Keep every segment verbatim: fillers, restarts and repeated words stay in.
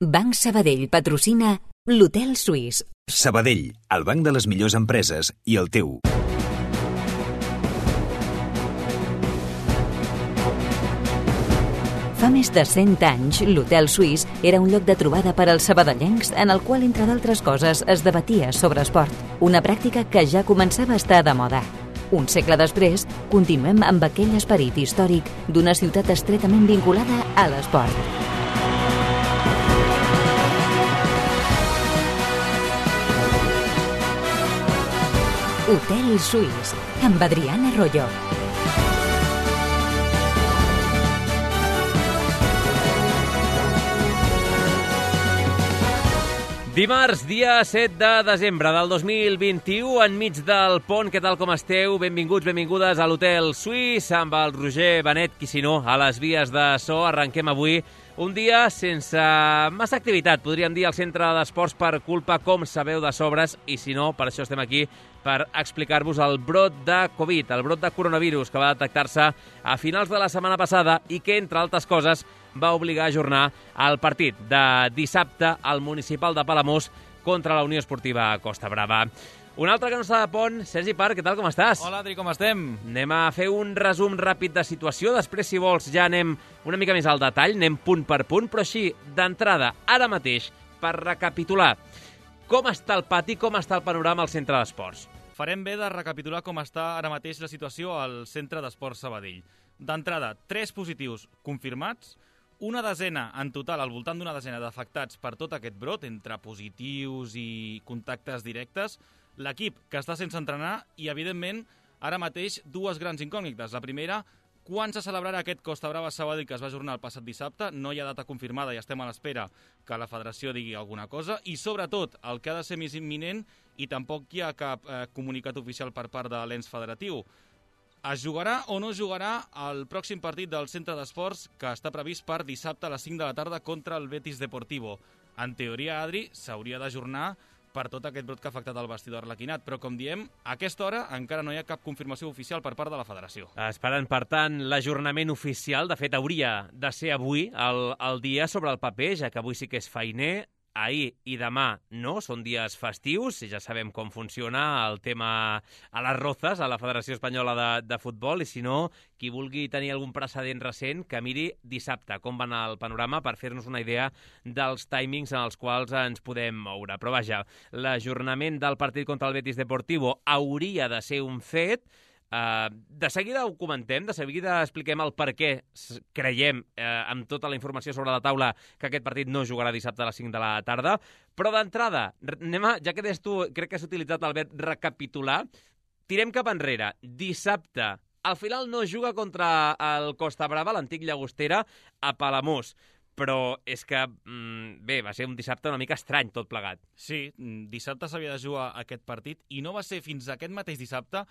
Banc Sabadell patrocina l'Hotel Suís. Sabadell, el banc de les millors empreses i el teu. Fa més de cent anys, l'Hotel Suís era un lloc de trobada per als sabadellencs en el qual, entre d'altres coses, es debatia sobre esport, una pràctica que ja començava a estar de moda. Un segle després, continuem amb aquell esperit històric d'una ciutat estretament vinculada a l'esport. Hotel Suís, amb Adriana Royo. Dimarts, dia set de desembre del dos mil vint-i-u, enmig del pont. Què tal, com esteu? Benvinguts, benvingudes a l'Hotel Suís, amb el Roger Benet, qui si no, a les vies de so. Arrenquem avui un dia sense massa activitat, podríem dir, al centre d'esports per culpa, com sabeu, de sobres, i si no, per això estem aquí, per explicar-vos el brot de Covid, el brot de coronavirus que va detectar-se a finals de la setmana passada i que, entre altres coses, va obligar a ajornar el partit de dissabte al municipal de Palamós contra la Unió Esportiva Costa Brava. Un altre que no està de pont, Sergi Parc, què tal, com estàs? Hola, Adri, com estem? Anem a fer un resum ràpid de situació, després, si vols, ja anem una mica més al detall, anem punt per punt, però així, d'entrada, ara mateix, per recapitular com està el pati, com està el panorama al centre d'esports. Farem bé de recapitular com està ara mateix la situació al centre d'esports Sabadell. D'entrada, tres positius confirmats, una desena en total, al voltant d'una desena d'afectats per tot aquest brot, entre positius i contactes directes, l'equip que està sense entrenar i, evidentment, ara mateix dues grans incògnites. La primera, quan se celebrarà aquest Costa Brava Sabadell que es va ajornar el passat dissabte? No hi ha data confirmada i estem a l'espera que la federació digui alguna cosa. I, sobretot, el que ha de ser més imminent, i tampoc hi ha cap eh, comunicat oficial per part de l'ens federatiu, es jugarà o no jugarà el pròxim partit del centre d'esports que està previst per dissabte a les cinc de la tarda contra el Betis Deportivo. En teoria, Adri, s'hauria d'ajornar per tot aquest brot que ha afectat el vestidor arlequinat, però, com diem, a aquesta hora encara no hi ha cap confirmació oficial per part de la federació. Esperant, per tant, l'ajornament oficial. De fet, hauria de ser avui el, el dia sobre el paper, ja que avui sí que és feiner. Ahir i demà no, són dies festius, i ja sabem com funciona el tema a les rozes, a la Federació Espanyola de, de Futbol, i si no, qui vulgui tenir algun precedent recent, que miri dissabte com va anar el panorama per fer-nos una idea dels timings en els quals ens podem moure. Però vaja, l'ajornament del partit contra el Betis Deportivo hauria de ser un fet. Uh, de seguida ho comentem, de seguida expliquem el per què creiem, uh, amb tota la informació sobre la taula, que aquest partit no jugarà dissabte a les cinc de la tarda. Però d'entrada, anem a, ja que des tu, crec que has utilitzat el verb recapitular, tirem cap enrere. Dissabte, al final no juga contra el Costa Brava, l'antic Llagostera, a Palamós. Però és que, bé, va ser un dissabte una mica estrany tot plegat. Sí, dissabte s'havia de jugar aquest partit i no va ser fins aquest mateix dissabte,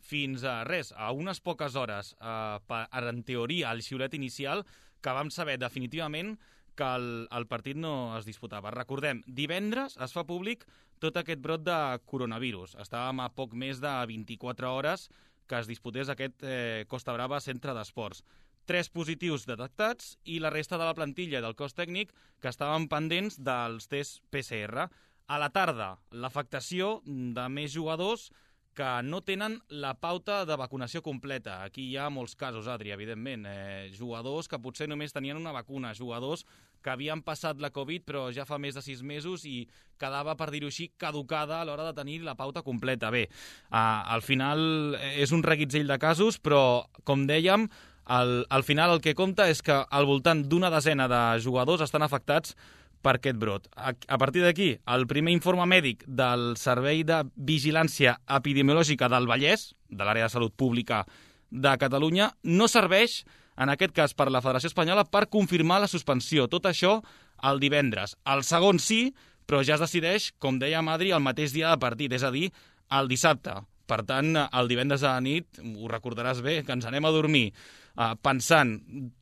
fins a res, a unes poques hores, eh, en teoria, al xiulet inicial, que vam saber definitivament que el, el partit no es disputava. Recordem, divendres es fa públic tot aquest brot de coronavirus. Estàvem a poc més de vint-i-quatre hores que es disputés aquest eh, Costa Brava Centre d'Esports. Tres positius detectats i la resta de la plantilla del cos tècnic que estaven pendents dels tests P C R. A la tarda, l'afectació de més jugadors que no tenen la pauta de vacunació completa. Aquí hi ha molts casos, Adri, evidentment. Eh, jugadors que potser només tenien una vacuna, jugadors que havien passat la Covid però ja fa més de sis mesos i quedava, per dir-ho així, caducada a l'hora de tenir la pauta completa. Bé, eh, al final és un reguitzell de casos, però, com dèiem, Al, al final el que compta és que al voltant d'una desena de jugadors estan afectats per aquest brot. A, a partir d'aquí, el primer informe mèdic del Servei de Vigilància Epidemiològica del Vallès, de l'àrea de salut pública de Catalunya, no serveix, en aquest cas per la Federació Espanyola, per confirmar la suspensió. Tot això el divendres. El segon sí, però ja es decideix, com deia Madri, el mateix dia de partit, és a dir, el dissabte. Per tant, el divendres a la nit, ho recordaràs bé, que ens anem a dormir eh, pensant,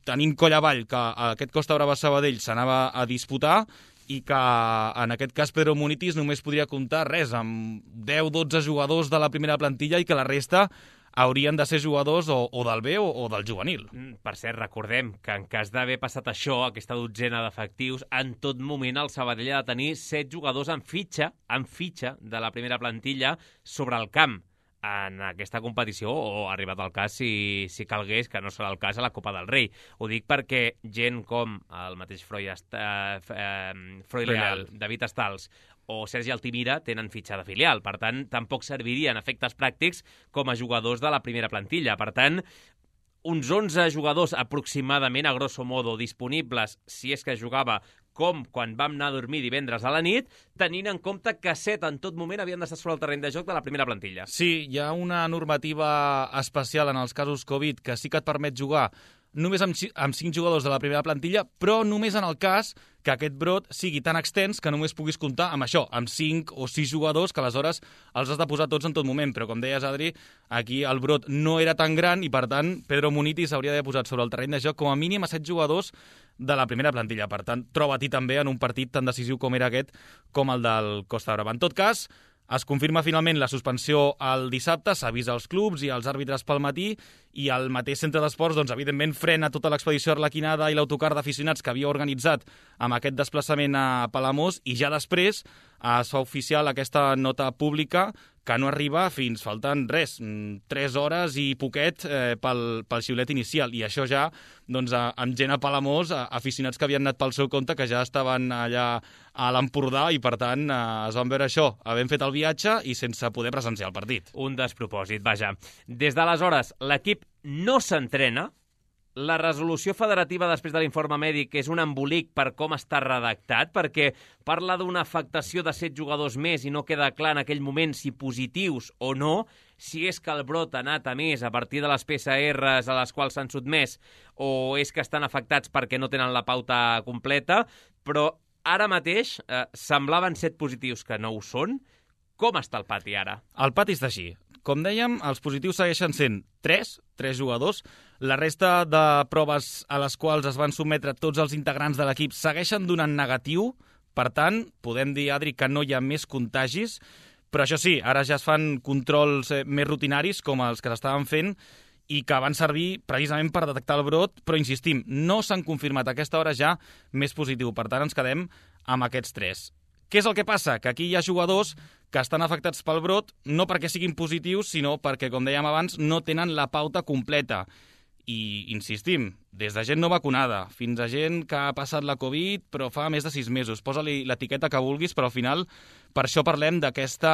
tenint coll avall, que aquest Costa Brava Sabadell s'anava a disputar i que, en aquest cas, Pedro Munitis només podria comptar res, amb deu dotze jugadors de la primera plantilla i que la resta haurien de ser jugadors o, o del B o, o del juvenil. Per cert, recordem que en cas d'haver passat això, aquesta dotzena d'efectius, en tot moment el Sabadell ha de tenir set jugadors en fitxa, en fitxa de la primera plantilla sobre el camp en aquesta competició, o ha arribat el cas, si, si calgués, que no serà el cas, a la Copa del Rei. Ho dic perquè gent com el mateix Freud, eh, Freud Leal, David Estals o Sergi Altimira tenen fitxa de filial. Per tant, tampoc servirien efectes pràctics com a jugadors de la primera plantilla. Per tant, uns onze jugadors aproximadament, a grosso modo, disponibles, si és que jugava com quan vam anar a dormir divendres a la nit, tenint en compte que set en tot moment havien d'estar sobre el terreny de joc de la primera plantilla. Sí, hi ha una normativa especial en els casos Covid que sí que et permet jugar només amb, amb cinc jugadors de la primera plantilla, però només en el cas que aquest brot sigui tan extens que només puguis comptar amb això, amb cinc o sis jugadors, que aleshores els has de posar tots en tot moment. Però, com deies, Adri, aquí el brot no era tan gran i, per tant, Pedro Munitis s'hauria d'haver posat sobre el terreny de joc com a mínim a set jugadors de la primera plantilla. Per tant, troba-t'hi també en un partit tan decisiu com era aquest, com el del Costa Brava. En tot cas, es confirma finalment la suspensió el dissabte, s'avisa als clubs i als àrbitres pel matí, i el mateix centre d'esports, doncs, evidentment, frena tota l'expedició arlequinada i l'autocar d'aficionats que havia organitzat amb aquest desplaçament a Palamós, i ja després es fa oficial aquesta nota pública que no arriba fins, falten res, tres hores i poquet eh, pel, pel xiulet inicial. I això ja, doncs, amb gent a Palamós, aficionats que havien anat pel seu compte, que ja estaven allà a l'Empordà, i per tant eh, es van veure això, havent fet el viatge i sense poder presenciar el partit. Un despropòsit, vaja. Des d'aleshores, l'equip no s'entrena. La resolució federativa després de l'informe mèdic és un embolic per com està redactat, perquè parla d'una afectació de set jugadors més i no queda clar en aquell moment si positius o no, si és que el brot ha anat a més a partir de les P C Rs a les quals s'han sotmès, o és que estan afectats perquè no tenen la pauta completa, però ara mateix eh, semblaven set positius que no ho són. Com està el pati ara? El pati està així. Com dèiem, els positius segueixen sent tres, tres jugadors. La resta de proves a les quals es van sotmetre tots els integrants de l'equip segueixen donant negatiu. Per tant, podem dir, Adri, que no hi ha més contagis. Però això sí, ara ja es fan controls més rutinaris, com els que s'estaven fent, i que van servir precisament per detectar el brot, però insistim, no s'han confirmat a aquesta hora ja més positiu. Per tant, ens quedem amb aquests tres. Què és el que passa? Que aquí hi ha jugadors que estan afectats pel brot, no perquè siguin positius, sinó perquè, com dèiem abans, no tenen la pauta completa. I, insistim, des de gent no vacunada, fins a gent que ha passat la Covid, però fa més de sis mesos. Posa-li l'etiqueta que vulguis, però al final, per això parlem d'aquesta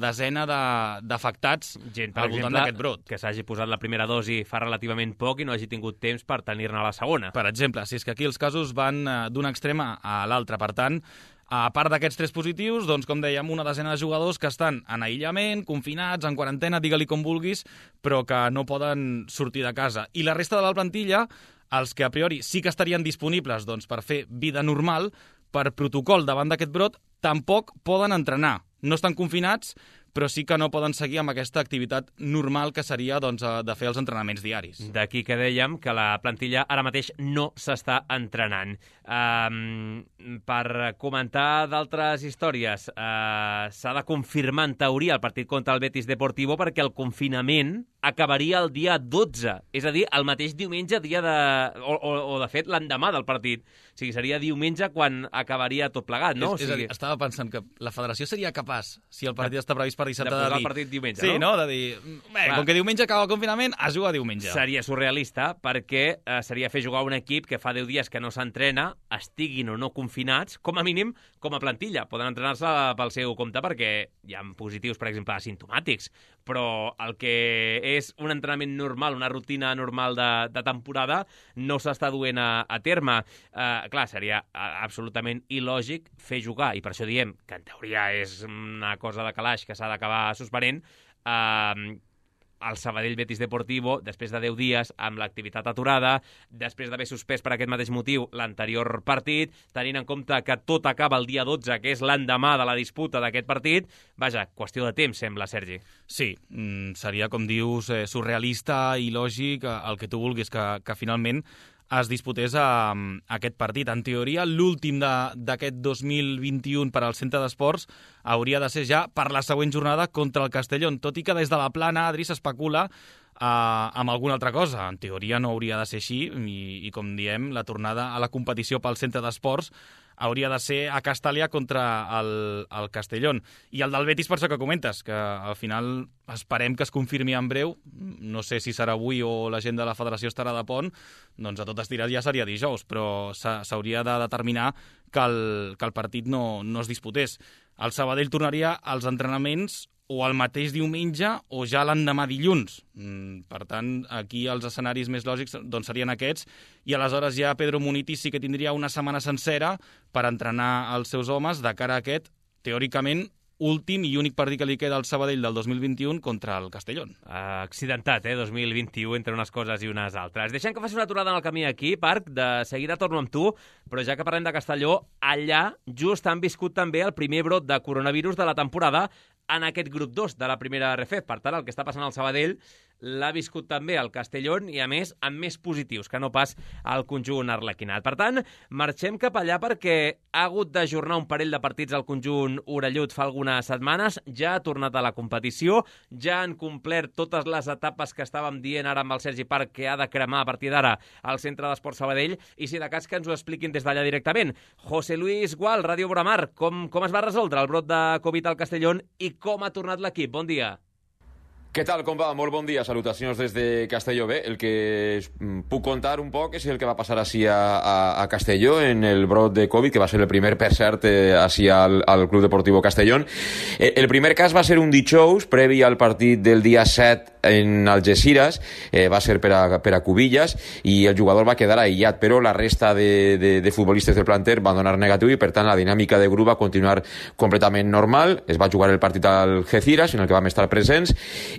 desena d'afectats gent, per al voltant d'aquest brot. Que s'hagi posat la primera dosi fa relativament poc i no hagi tingut temps per tenir-ne la segona. Per exemple, si és que aquí els casos van d'un extrem a l'altre. Per tant, a part d'aquests tres positius, doncs, com dèiem, una desena de jugadors que estan en aïllament, confinats, en quarantena, digue-li com vulguis, però que no poden sortir de casa. I la resta de la plantilla, els que a priori sí que estarien disponibles doncs, per fer vida normal, per protocol davant d'aquest brot, tampoc poden entrenar. No estan confinats, però sí que no poden seguir amb aquesta activitat normal que seria doncs, de fer els entrenaments diaris. D'aquí que dèiem que la plantilla ara mateix no s'està entrenant. Um, per comentar d'altres històries, uh, s'ha de confirmar en teoria el partit contra el Betis Deportivo perquè el confinament acabaria el dia dotze, és a dir, el mateix diumenge, dia de... o, o, o de fet l'endemà del partit. O sigui, seria diumenge quan acabaria tot plegat, no? És, és o sigui... a dir, estava pensant que la federació seria capaç, si el partit està previst per dissabte, de posar de dir... el partit diumenge, sí, no? no? De dir, bé, com que diumenge acaba el confinament, es juga diumenge. Seria surrealista perquè eh, seria fer jugar un equip que fa deu dies que no s'entrena, estiguin o no confinats, com a mínim com a plantilla. Poden entrenar-se pel seu compte perquè hi ha positius, per exemple, asimptomàtics, però el que és un entrenament normal, una rutina normal de, de temporada, no s'està duent a, a terme. Eh, clar, seria absolutament il·lògic fer jugar, i per això diem que en teoria és una cosa de calaix que s'ha d'acabar suspenent, eh, el Sabadell Betis Deportivo, després de deu dies, amb l'activitat aturada, després d'haver suspès per aquest mateix motiu l'anterior partit, tenint en compte que tot acaba el dia dotze, que és l'endemà de la disputa d'aquest partit, vaja, qüestió de temps, sembla, Sergi. Sí, seria, com dius, surrealista i lògic, el que tu vulguis, que, que finalment es disputés a, a aquest partit. En teoria, l'últim d'aquest dos mil vint-i-u per al Centre d'Esports hauria de ser ja per la següent jornada contra el Castellón, tot i que des de la plana, Adri, s'especula uh, amb alguna altra cosa. En teoria no hauria de ser així i, i com diem, la tornada a la competició pel Centre d'Esports hauria de ser a Castellà contra el, el Castellón. I el del Betis, per això que comentes, que al final esperem que es confirmi en breu. No sé si serà avui o la gent de la federació estarà de pont, doncs a tot estirar ja seria dijous, però s'hauria de determinar que el, que el partit no, no es disputés. El Sabadell tornaria als entrenaments o el mateix diumenge o ja l'endemà dilluns. Per tant, aquí els escenaris més lògics doncs, serien aquests, i aleshores ja Pedro Munitis sí que tindria una setmana sencera per entrenar els seus homes de cara a aquest, teòricament, últim i únic partit que li queda al Sabadell del dos mil vint-i-u contra el Castellón. Uh, accidentat, eh, dos mil vint-i-u, entre unes coses i unes altres. Deixem que faci una aturada en el camí aquí, Parc, de seguida torno amb tu, però ja que parlem de Castelló, allà just han viscut també el primer brot de coronavirus de la temporada en aquest grup dos de la primera R F. Per tant, el que està passant al Sabadell l'ha viscut també el Castellón i, a més, amb més positius que no pas al conjunt arlequinat. Per tant, marxem cap allà perquè ha hagut d'ajornar un parell de partits al conjunt orellut fa algunes setmanes, ja ha tornat a la competició, ja han complert totes les etapes que estàvem dient ara amb el Sergi Parc que ha de cremar a partir d'ara al Centre d'Esports Sabadell, i si de cas que ens ho expliquin des d'allà directament. José Luis Gual, Ràdio Boramar, com, com es va resoldre el brot de Covid al Castellón i com ha tornat l'equip? Bon dia. Què tal, com va? Molt bon dia, salutacions des de Castelló. Bé, el que puc contar un poc és el que va passar així a, a, a Castelló en el brot de Covid, que va ser el primer, per cert, eh, així al, al Club Deportivo Castellón. Eh, el primer cas va ser un dijous, previ al partit del dia set en Algeciras, eh, va ser per a, per a Cubillas, i el jugador va quedar aïllat, però la resta de, de, de futbolistes del planter van donar negatiu i, per tant, la dinàmica de grup va continuar completament normal. Es va jugar el partit al Algeciras, en el que vam estar presents,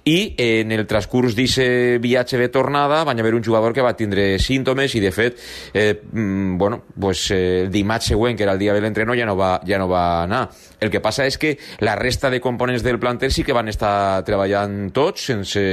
i en el transcurs d'aquest viatge de tornada van haver un jugador que va tindre símptomes i, de fet, eh, bueno, pues, eh, el dimarts següent, que era el dia de l'entreno, ja, no va, ja no va anar. El que passa és que la resta de components del planter sí que van estar treballant tots sense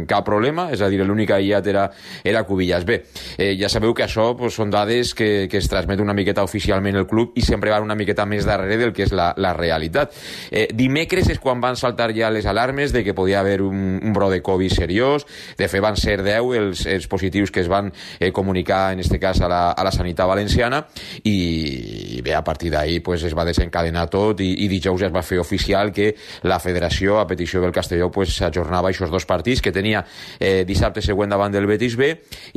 cap problema, és a dir, l'únic aïllat era, era Cubillas. Bé, eh, ja sabeu que això pues, són dades que, que es transmet una miqueta oficialment el club i sempre van una miqueta més darrere del que és la, la realitat. Eh, dimecres és quan van saltar ja les alarmes de que podia haver un, un brot de Covid seriós. De fet, van ser deu els, els positius que es van eh, comunicar, en este cas, a la, a la sanitat valenciana, i bé, a partir d'ahí pues, es va desencadenar tot, i, i dijous ja es va fer oficial que la federació, a petició del Castelló, pues, ajornava aquests dos partits que tenia eh, dissabte següent davant del Betis B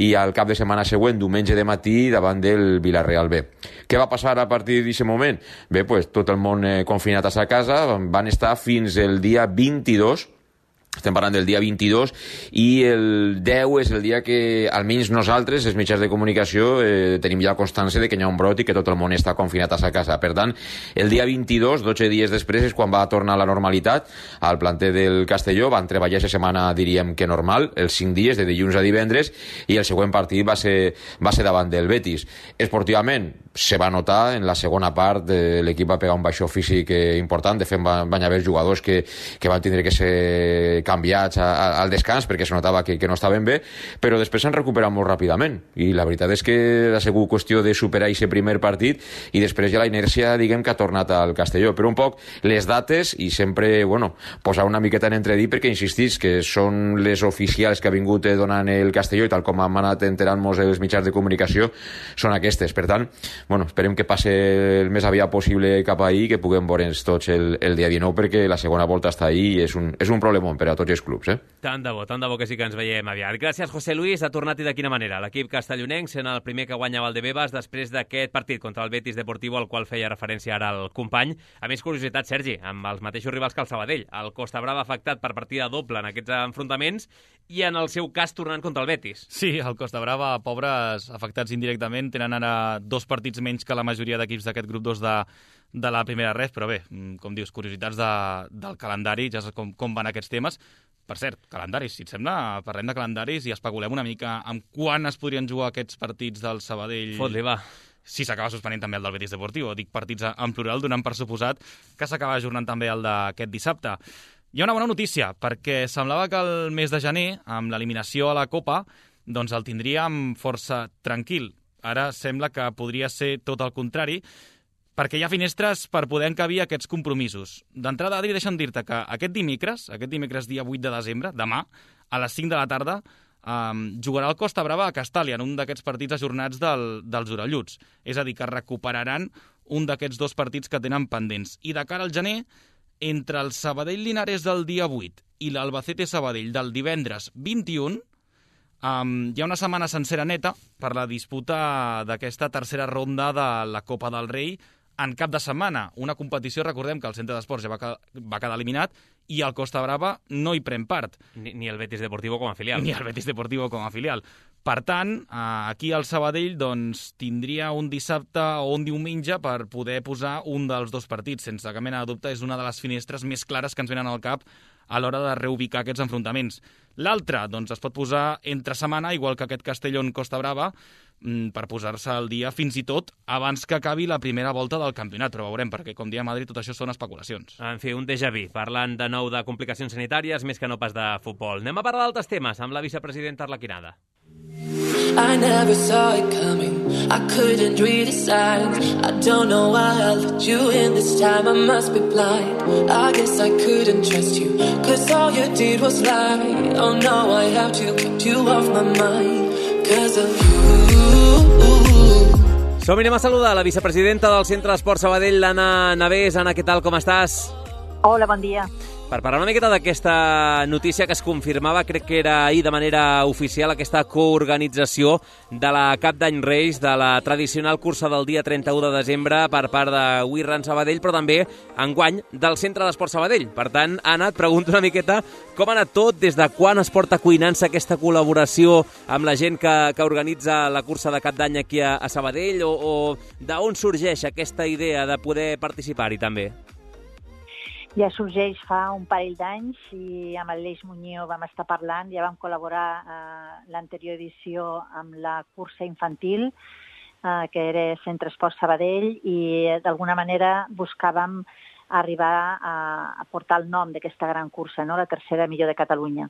i al cap de setmana següent, diumenge de matí, davant del Villarreal B. Què va passar a partir d'aquest moment? Bé, pues, tot el món eh, confinat a sa casa, van estar fins el dia vint-i-dos. Estem parlant del dia vint-i-dos, i el deu és el dia que, almenys nosaltres, els mitjans de comunicació, eh, tenim ja constància de que hi ha un brot i que tot el món està confinat a sa casa. Per tant, el dia vint-i-dos, dotze dies després, és quan va tornar a la normalitat al planter del Castelló. Van treballar aquesta setmana, diríem que normal, els cinc dies, de dilluns a divendres, i el següent partit va ser, va ser davant del Betis. Esportivament, se va notar, en la segona part eh, l'equip va pegar un baixó físic eh, important. De fet, van, van haver jugadors que, que van tindre que ser canviats a, a, al descans perquè es notava que, que no estaven bé, però després s'han recuperat molt ràpidament, i la veritat és que ha sigut qüestió de superar aquest primer partit i després ja la inèrcia, diguem, que ha tornat al Castelló. Però un poc les dates, i sempre, bueno, posar una miqueta en entredit, perquè insistís que són les oficials que ha vingut donant el Castelló, i tal com han anat enterant-nos els mitjans de comunicació, són aquestes. Per tant, bueno, esperem que passe el més aviat possible cap ahir, que puguem veure'ns tots el, el dia dinou, perquè la segona volta està ahí i és un, és un problemón per a tots els clubs, eh? Tant de bo, tant de bo que sí que ens veiem aviat. Gràcies, José Luis. Ha tornat, i de quina manera? L'equip castellonenc sent el primer que guanya Valdebebas després d'aquest partit contra el Betis Deportivo, al qual feia referència ara el company. A més, curiositat, Sergi, amb els mateixos rivals que el Sabadell. El Costa Brava afectat per partida doble en aquests enfrontaments, i en el seu cas tornant contra el Betis. Sí, el Costa Brava, pobres afectats indirectament, tenen ara dos partits menys que la majoria d'equips d'aquest grup dos de, de la primera ref, però bé, com dius, curiositats de, del calendari, ja saps com, com van aquests temes. Per cert, calendaris, si et sembla, parlem de calendaris i especulem una mica amb quan es podrien jugar aquests partits del Sabadell. Fot-li, va. Si s'acaba suspenent també el del Betis Deportivo. Dic partits en plural, donant per suposat que s'acaba ajornant també el d'aquest dissabte. Hi ha una bona notícia, perquè semblava que el mes de gener, amb l'eliminació a la Copa, doncs el tindríem força tranquil. Ara sembla que podria ser tot el contrari, perquè hi ha finestres per poder encabir aquests compromisos. D'entrada, Adri, deixa'm dir-te que aquest dimecres, aquest dimecres dia vuit de desembre, demà, a les cinc de la tarda, um, jugarà el Costa Brava a Castàlia, en un d'aquests partits ajornats del, dels orelluts. És a dir, que recuperaran un d'aquests dos partits que tenen pendents. I de cara al gener, entre el Sabadell-Linares del dia vuit i l'Albacete-Sabadell del divendres vint-i-un, Um, hi ha una setmana sencera neta per la disputa d'aquesta tercera ronda de la Copa del Rei en cap de setmana. Una competició, recordem que el Centre d'Esports ja va, va quedar eliminat i el Costa Brava no hi pren part. Ni, ni el Betis Deportivo com a filial. Ni el Betis Deportivo com a filial. Per tant, aquí al Sabadell doncs, tindria un dissabte o un diumenge per poder posar un dels dos partits. Sense cap mena de dubte, és una de les finestres més clares que ens venen al cap a l'hora de reubicar aquests enfrontaments. L'altre, doncs, es pot posar entre setmana, igual que aquest Castellón-Costa Brava, per posar-se al dia fins i tot abans que acabi la primera volta del campionat, però veurem, perquè, com diem a Madrid, tot això són especulacions. En fi, un déjà vu, parlant de nou de complicacions sanitàries, més que no pas de futbol. Anem a parlar d'altres temes, amb la vicepresidenta Arlequinada. I never saw it coming, I couldn't read the signs, I don't know why I let you in this time, I must be blind, I guess I couldn't trust you, cause all you did was lie, oh no, I have to keep you off my mind, cause of you. Som i anem a saludar la vicepresidenta del Centre d'Esport Sabadell, l'Anna Navés. Anna, què tal, com estàs? Hola, bon dia. Per parlar una miqueta d'aquesta notícia que es confirmava, crec que era ahir de manera oficial, aquesta coorganització de la Cap d'Any Reis, de la tradicional cursa del dia trenta-u de desembre per part de We Run Sabadell, però també enguany del Centre d'Esport Sabadell. Per tant, Anna, et pregunto una miqueta com ha anat tot, des de quan es porta cuinant-se aquesta col·laboració amb la gent que, que organitza la cursa de Cap d'Any aquí a, a Sabadell, o, o d'on sorgeix aquesta idea de poder participar-hi també? Ja sorgeix fa un parell d'anys i amb l'Aleix Muñoz vam estar parlant, ja vam col·laborar eh, l'anterior edició amb la cursa infantil, eh, que era Centre Esport Sabadell, i d'alguna manera buscàvem arribar a, a portar el nom d'aquesta gran cursa, no? La tercera millor de Catalunya.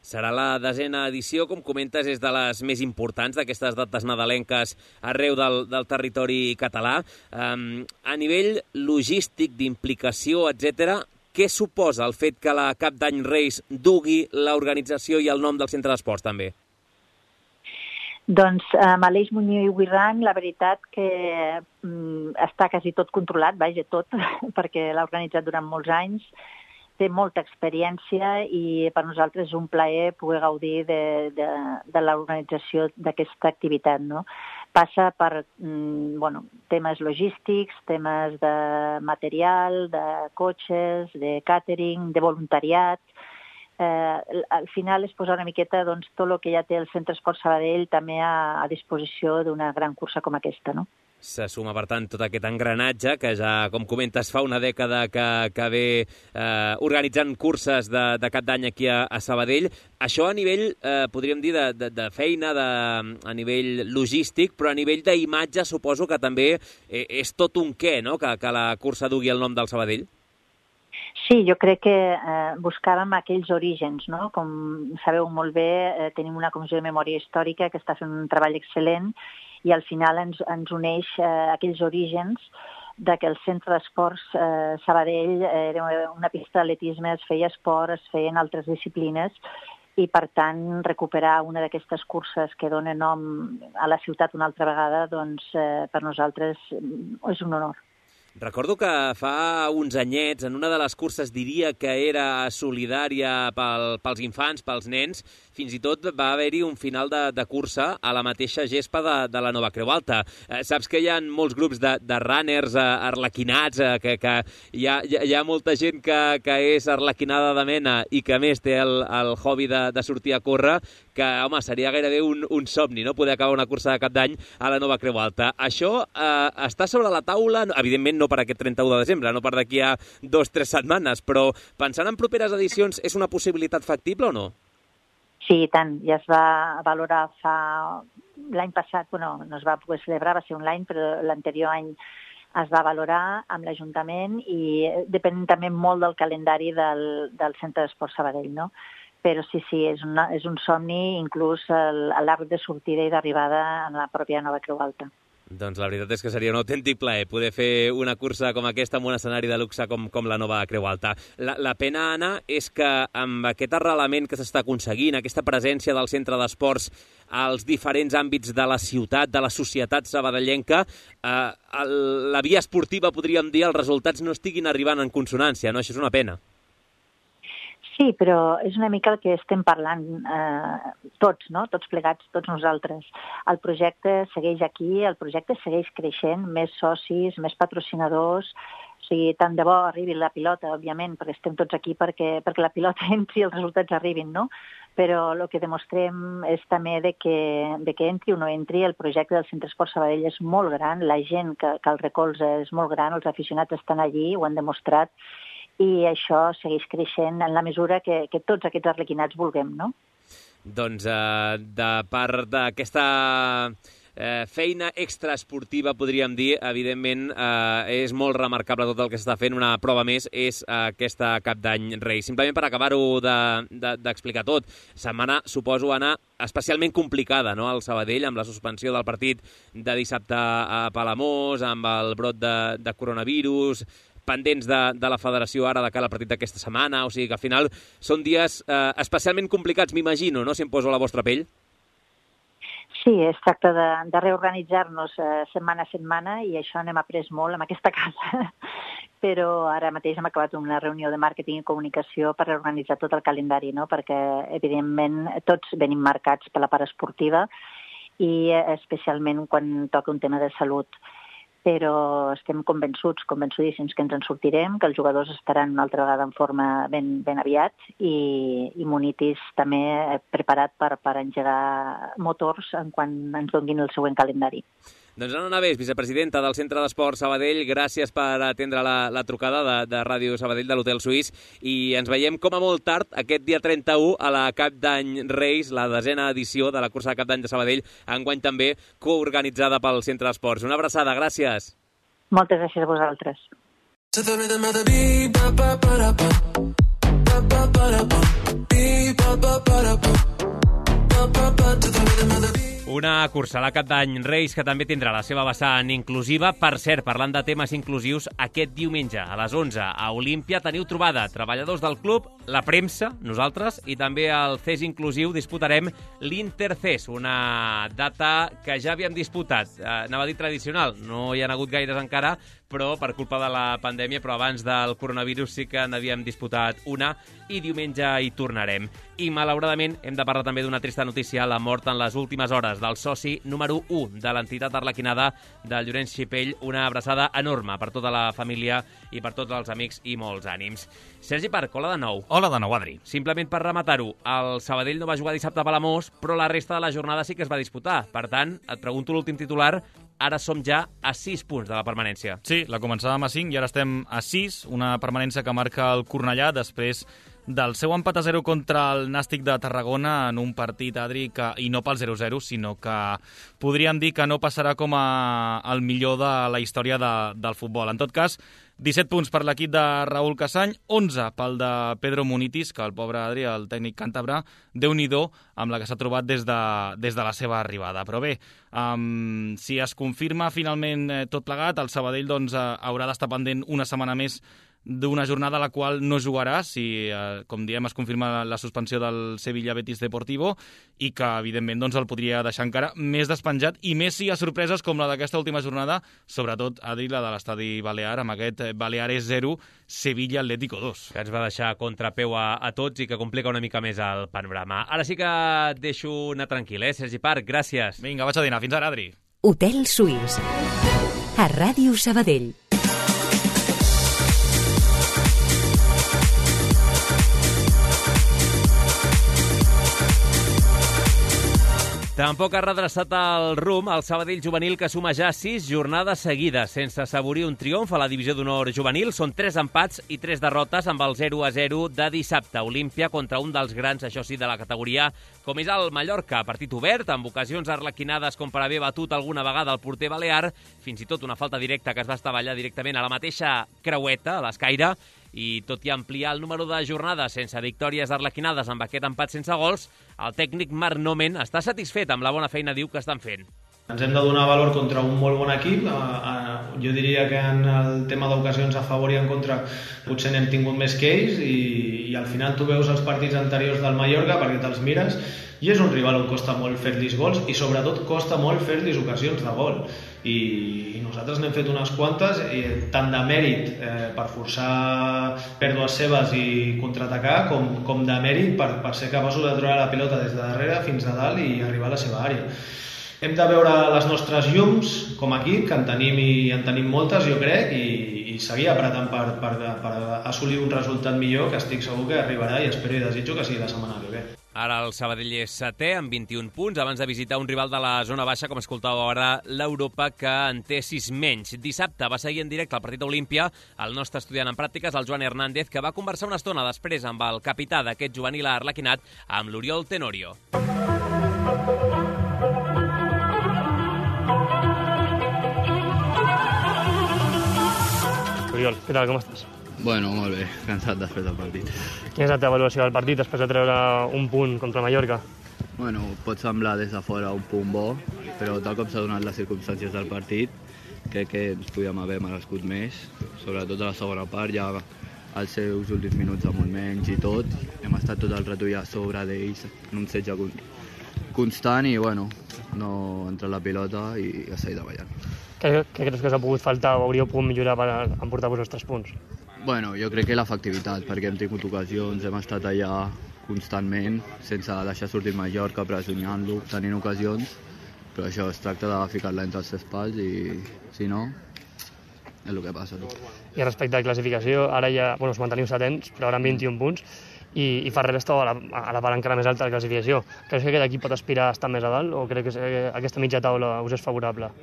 Serà la desena edició, com comentes, és de les més importants d'aquestes dates nadalenques arreu del, del territori català. Um, a nivell logístic, d'implicació, etcètera, què suposa el fet que la Cap d'Any Reis dugui l'organització i el nom del Centre d'Esports també? Doncs amb Aleix Muñoz i We Run, la veritat que mm, està quasi tot controlat, vaja, tot, perquè l'ha organitzat durant molts anys, té molta experiència i per nosaltres és un plaer poder gaudir de, de, de l'organització d'aquesta activitat, no? Passa per mm, bueno, temes logístics, temes de material, de cotxes, de càtering, de voluntariat. Eh, al final és posar una miqueta doncs, tot el que ja té el Centre Esport Sabadell també a, a disposició d'una gran cursa com aquesta, no? Se suma, per tant, tot aquest engranatge que ja, com comentes, fa una dècada que, que ve eh, organitzant curses de, de Cap d'Any aquí a, a Sabadell. Això a nivell, eh, podríem dir, de, de, de feina, de, a nivell logístic, però a nivell d'imatge suposo que també eh, és tot un què, no?, que, que la cursa dugui el nom del Sabadell. Sí, jo crec que eh, buscàvem aquells orígens, no? Com sabeu molt bé, eh, tenim una comissió de memòria històrica que està fent un treball excel·lent i al final ens, ens uneix eh, aquells orígens de que el Centre d'Esports eh, Sabadell era una pista d'atletisme, es feia esport, es feien altres disciplines i, per tant, recuperar una d'aquestes curses que dona nom a la ciutat una altra vegada, doncs eh, per nosaltres és un honor. Recordo que fa uns anyets, en una de les curses, diria que era solidària pel, pels infants, pels nens, fins i tot va haver-hi un final de, de cursa a la mateixa gespa de, de la Nova Creu Alta. Eh, saps que hi ha molts grups de, de runners eh, arlequinats, eh, que, que hi, ha, hi ha molta gent que, que és arlequinada de mena i que a més té el, el hobby de, de sortir a córrer, que, home, seria gairebé un, un somni, no?, poder acabar una cursa de Cap d'Any a la Nova Creu Alta. Això eh, està sobre la taula, evidentment no per aquest trenta-u de desembre, no per d'aquí a dos o tres setmanes, però pensant en properes edicions, és una possibilitat factible o no? Sí, i tant. Ja es va valorar fa... L'any passat, bueno, no es va poder celebrar, va ser un any, però l'anterior any es va valorar amb l'Ajuntament i depèn també molt del calendari del, del Centre d'Esport Sabadell, no? Però sí, sí, és, una, és un somni, inclús l'arc de sortida i d'arribada en la pròpia Nova Creu Alta. Doncs la veritat és que seria un autèntic plaer poder fer una cursa com aquesta en un escenari de luxe com, com la Nova Creu Alta. La, la pena, Anna, és que amb aquest arrelament que s'està aconseguint, aquesta presència del centre d'esports als diferents àmbits de la ciutat, de la societat sabadellenca, eh, el, la via esportiva, podríem dir, els resultats no estiguin arribant en consonància, no? Això és una pena. Sí, però és una mica el que estem parlant eh, tots, no? Tots plegats, tots nosaltres. El projecte segueix aquí, el projecte segueix creixent, més socis, més patrocinadors, o sigui, tant de bo arribi la pilota, òbviament, perquè estem tots aquí perquè, perquè la pilota entri i els resultats arribin, no? Però el que demostrem és també de que, de que entri o no entri, el projecte del Centre Esport Sabadell és molt gran, la gent que, que el recolza és molt gran, els aficionats estan allí, ho han demostrat, i això segueix creixent en la mesura que, que tots aquests arlequinats vulguem, no? Doncs eh, de part d'aquesta eh, feina extraesportiva, podríem dir, evidentment eh, és molt remarcable tot el que s'està fent. Una prova més és eh, aquesta Cap d'Any Reis. Simplement per acabar-ho d'explicar de, de, tot, setmana, suposo, Anna, especialment complicada, no?, al Sabadell, amb la suspensió del partit de dissabte a Palamós, amb el brot de, de coronavirus, pendents de, de la federació ara de cara al partit d'aquesta setmana, o sigui que al final són dies eh, especialment complicats, m'imagino, no?, si em poso a la vostra pell. Sí, es tracta de, de reorganitzar-nos eh, setmana a setmana i això n'hem après molt en aquesta casa. Però ara mateix hem acabat una reunió de màrqueting i comunicació per reorganitzar tot el calendari, no?, perquè evidentment tots venim marcats per la part esportiva i especialment quan toca un tema de salut. Però estem convençuts, convençudíssims que ens en sortirem, que els jugadors estaran una altra vegada en forma ben, ben aviat i, i Munitis també preparat per, per engegar motors en quan ens donin el següent calendari. Doncs Anna Navés, vicepresidenta del Centre d'Esport Sabadell, gràcies per atendre la, la trucada de, de Ràdio Sabadell de l'Hotel Suís i ens veiem com a molt tard aquest dia trenta-u a la Cap d'Any Reis, la desena edició de la cursa de Cap d'Any de Sabadell, enguany també coorganitzada pel Centre d'Esports. Una abraçada, gràcies. Moltes gràcies a vosaltres. Una cursa a la Cap d'Any Reis que també tindrà la seva vessant inclusiva. Per cert, parlant de temes inclusius, aquest diumenge a les onze a Olímpia teniu trobada treballadors del club, la premsa, nosaltres, i també el C E S inclusiu disputarem l'Inter-C E S, una data que ja havíem disputat. Eh, anava a dir tradicional, no hi ha hagut gaires encara, però per culpa de la pandèmia, però abans del coronavirus sí que n'havíem disputat una i diumenge hi tornarem. I malauradament hem de parlar també d'una trista notícia, la mort en les últimes hores del soci número u de l'entitat arlequinada del Llorenç Xipell. Una abraçada enorme per tota la família i per tots els amics i molts ànims. Sergi Parc, hola de nou. Hola de nou, Adri. Simplement per rematar-ho, el Sabadell no va jugar dissabte a Palamós, però la resta de la jornada sí que es va disputar. Per tant, et pregunto l'últim titular, ara som ja a sis punts de la permanència. Sí, la començàvem a cinc i ara estem a sis, una permanència que marca el Cornellà després del seu empat a zero contra el Nàstic de Tarragona en un partit, Adri, que, i no pel zero zero, sinó que podríem dir que no passarà com a el millor de la història de, del futbol. En tot cas, disset punts per l'equip de Raül Casany, onze pel de Pedro Munitis, que el pobre Adri, el tècnic càntabre, Déu-n'hi-do amb la que s'ha trobat des de, des de la seva arribada. Però bé, um, si es confirma finalment eh, tot plegat, el Sabadell doncs, eh, haurà d'estar pendent una setmana més d'una jornada a la qual no jugarà si, eh, com diem, es confirma la suspensió del Sevilla Betis Deportivo i que, evidentment, doncs, el podria deixar encara més despenjat i més si hi ha sorpreses com la d'aquesta última jornada, sobretot, Adri, la de l'estadi Balear, amb aquest Baleares zero, Sevilla Atlético dos. Que ens va deixar contrapeu a, a tots i que complica una mica més el panorama. Ara sí que et deixo anar tranquil, eh, Sergi Parc? Gràcies. Vinga, vaig a dinar. Fins ara, Adri. Hotel Suís. A Ràdio Sabadell. Tampoc ha redreçat el rumb el Sabadell juvenil, que suma ja sis jornades seguides sense assaborir un triomf a la divisió d'honor juvenil. Són tres empats i tres derrotes amb el zero a zero de dissabte. Olímpia contra un dels grans, això sí, de la categoria, com és el Mallorca. Partit obert, amb ocasions arlequinades com per haver batut alguna vegada el porter balear, fins i tot una falta directa que es va estavellar directament a la mateixa creueta, a l'escaire, i tot i ampliar el número de jornades sense victòries arlequinades amb aquest empat sense gols, el tècnic Marc Nomen està satisfet amb la bona feina, diu, que estan fent. Ens hem de donar valor contra un molt bon equip. Jo diria que en el tema d'ocasions a favor i en contra potser n'hem tingut més que ells i, i al final tu veus els partits anteriors del Mallorca perquè te'ls mires i és un rival on costa molt fer-los gols i sobretot costa molt fer-los ocasions de gol. I, i nosaltres n'hem fet unes quantes, eh, tant de mèrit eh, per forçar pèrdues seves i contraatacar com, com de mèrit per, per ser capaços de treure la pilota des de darrere fins a dalt i arribar a la seva àrea. Hem de veure les nostres llums com a equip, que en tenim i en tenim moltes, jo crec, i, i seguir apretant per, per, per assolir un resultat millor, que estic segur que arribarà i espero i desitjo que sigui la setmana que ve. Ara el Sabadell és setè amb vint-i-un punts, abans de visitar un rival de la zona baixa, com escoltàveu ara, l'Europa, que en té sis menys. Dissabte va seguir en directe el partit d'Olímpia el nostre estudiant en pràctiques, el Joan Hernández, que va conversar una estona després amb el capità d'aquest juvenil arlequinat, amb l'Oriol Tenorio. Oriol, què tal, com estàs? Bueno, molt bé, cansat després del partit. Quina és la teva avaluació del partit després de treure un punt contra Mallorca? Bueno, pot semblar des de fora un punt bo, però tal com s'ha donat les circumstàncies del partit, crec que ens podíem haver merescut més, sobretot a la segona part, ja als seus últims minuts amb un menys i tot. Hem estat tot el rato ja a sobre d'ells, en un setge constant i, bueno, no entra la pilota i ja s'ha ido ballant. Què, què creus que us ha pogut faltar o hauríeu pogut millorar per emportar-vos els tres punts? Bueno, jo crec que l'efectivitat, perquè hem tingut ocasions, hem estat allà constantment, sense deixar sortir Mallorca, pressionant-lo, tenint ocasions, però això es tracta de ficar-la entre els tres pals i, si no, és el que passa. I respecte a la classificació, ara ja, bueno, us manteniu setents, però ara amb vint-i-un punts, i, i Ferrer està a la, a la part encara més alta de la classificació. Creus que aquest equip pot aspirar a estar més a dalt o crec que aquesta mitja taula us és favorable?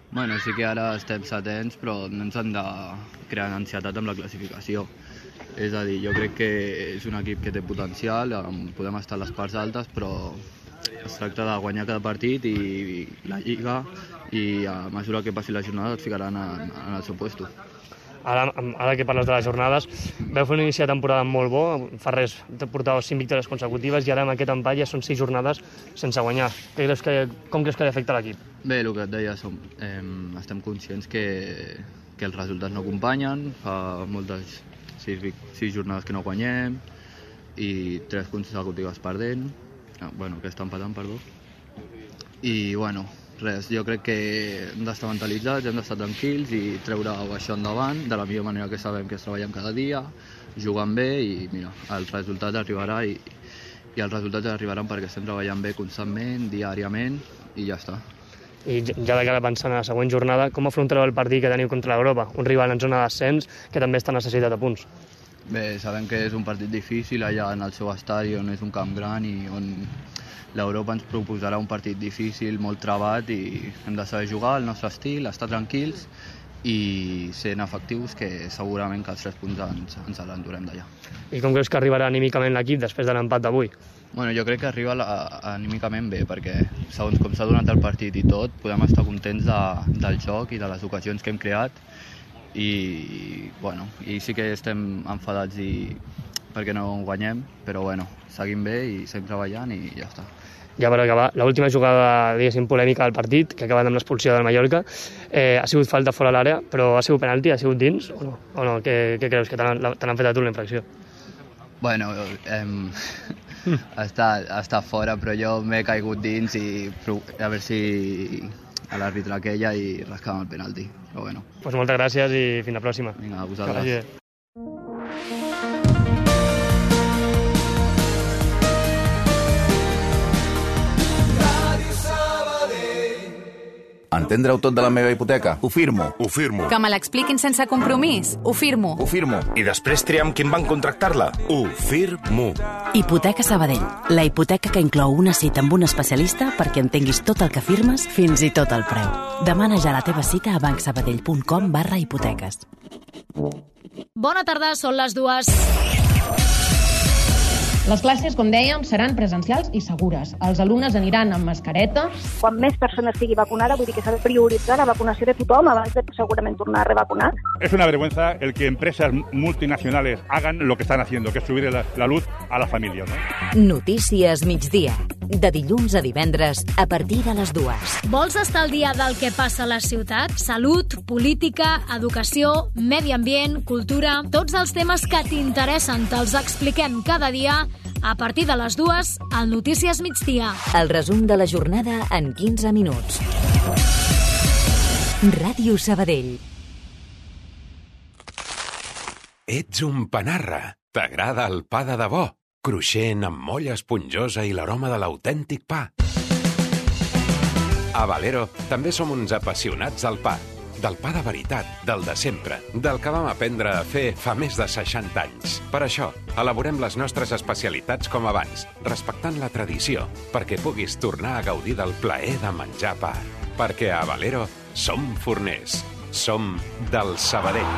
Bueno, sí que ara estem setents, però no ens han de crear ansietat amb la classificació. És a dir, jo crec que és un equip que té potencial, podem estar a les parts altes, però es tracta de guanyar cada partit i la Lliga, i a mesura que passi la jornada et ficaran en, en el seu puesto. Ara, ara que parles de les jornades, veu fer un inici de temporada molt bo, Ferrer portava cinc victòries consecutives i ara amb aquest empat ja són sis jornades sense guanyar. Què creus que, com creus que li afecta l'equip? Bé, el que et deia, som, eh, estem conscients que, que els resultats no acompanyen, fa moltes sis, sis jornades que no guanyem i tres consecutives perdent, ah, bueno, que estan empatant, perdó. I, bueno, res, jo crec que hem d'estar mentalitzats, hem d'estar tranquils i treure això endavant de la millor manera que sabem, que és treballant cada dia, jugant bé i mira, el resultat arribarà i, i els resultats arribaran perquè estem treballant bé constantment, diàriament i ja està. I ja de cara pensant a la següent jornada, com afrontareu el partit que teniu contra l'Europa? Un rival en zona d'ascens que també està necessitat de punts. Bé, sabem que és un partit difícil allà en el seu estadi on és un camp gran i on l'Europa ens proposarà un partit difícil, molt trebat i hem de saber jugar al nostre estil, estar tranquils i sent efectius, que segurament que els tres punts ens, ens l'endurem d'allà. I com creus que arribarà anímicament l'equip després de l'empat d'avui? Bueno, jo crec que arriba la, anímicament bé, perquè segons com s'ha donat el partit i tot, podem estar contents de, del joc i de les ocasions que hem creat i, bueno, i sí que estem enfadats i perquè no guanyem, però bueno, seguim bé i seguim treballant i ja està. Ja per acabar, l'última jugada, diguéssim, polèmica del partit, que ha acabat amb l'expulsió del Mallorca, eh, ha sigut falta fora l'àrea, però ha sigut penalti, ha sigut dins o no? O no? Què, què creus, que t'han fet a tu la infracció? Bueno, eh, està, està fora, però jo m'he caigut dins i a veure si a l'àrbitre aquella i rascàvem el penalti, però bueno. Pues moltes gràcies i fins la pròxima. Vinga, a vosaltres. Entendre-ho tot de la meva hipoteca? Ho firmo. Ho firmo. Que me l'expliquin sense compromís? Ho firmo. Ho firmo. I després triar amb quin banc contractar-la? Ho firmo. Hipoteca Sabadell. La hipoteca que inclou una cita amb un especialista perquè entenguis tot el que firmes, fins i tot el preu. Demana ja la teva cita a bancsabadell.com barra hipoteques. Bona tarda, són les dues. Les classes, com dèiem, seran presencials i segures. Els alumnes aniran amb mascareta. Quan més persones estigui vacunada, vull dir que s'ha de prioritzar la vacunació de tothom abans de segurament tornar a revacunar. Es una vergüenza el que empresas multinacionales hagan lo que están haciendo, que es subir la, la luz a la familia, ¿no? Notícies migdia. De dilluns a divendres, a partir de les dues. Vols estar al dia del que passa a la ciutat? Salut, política, educació, medi ambient, cultura... Tots els temes que t'interessen te'ls expliquem cada dia a partir de les dues al Notícies migdia. El resum de la jornada en quinze minuts. Ràdio Sabadell. Ets un panarra. T'agrada el pa de debò? Cruixent, amb molla esponjosa i l'aroma de l'autèntic pa. A Valero també som uns apassionats del pa. Del pa de veritat, del de sempre, del que vam aprendre a fer fa més de seixanta anys. Per això, elaborem les nostres especialitats com abans, respectant la tradició, perquè puguis tornar a gaudir del plaer de menjar pa. Perquè a Valero som forners. Som del Sabadell.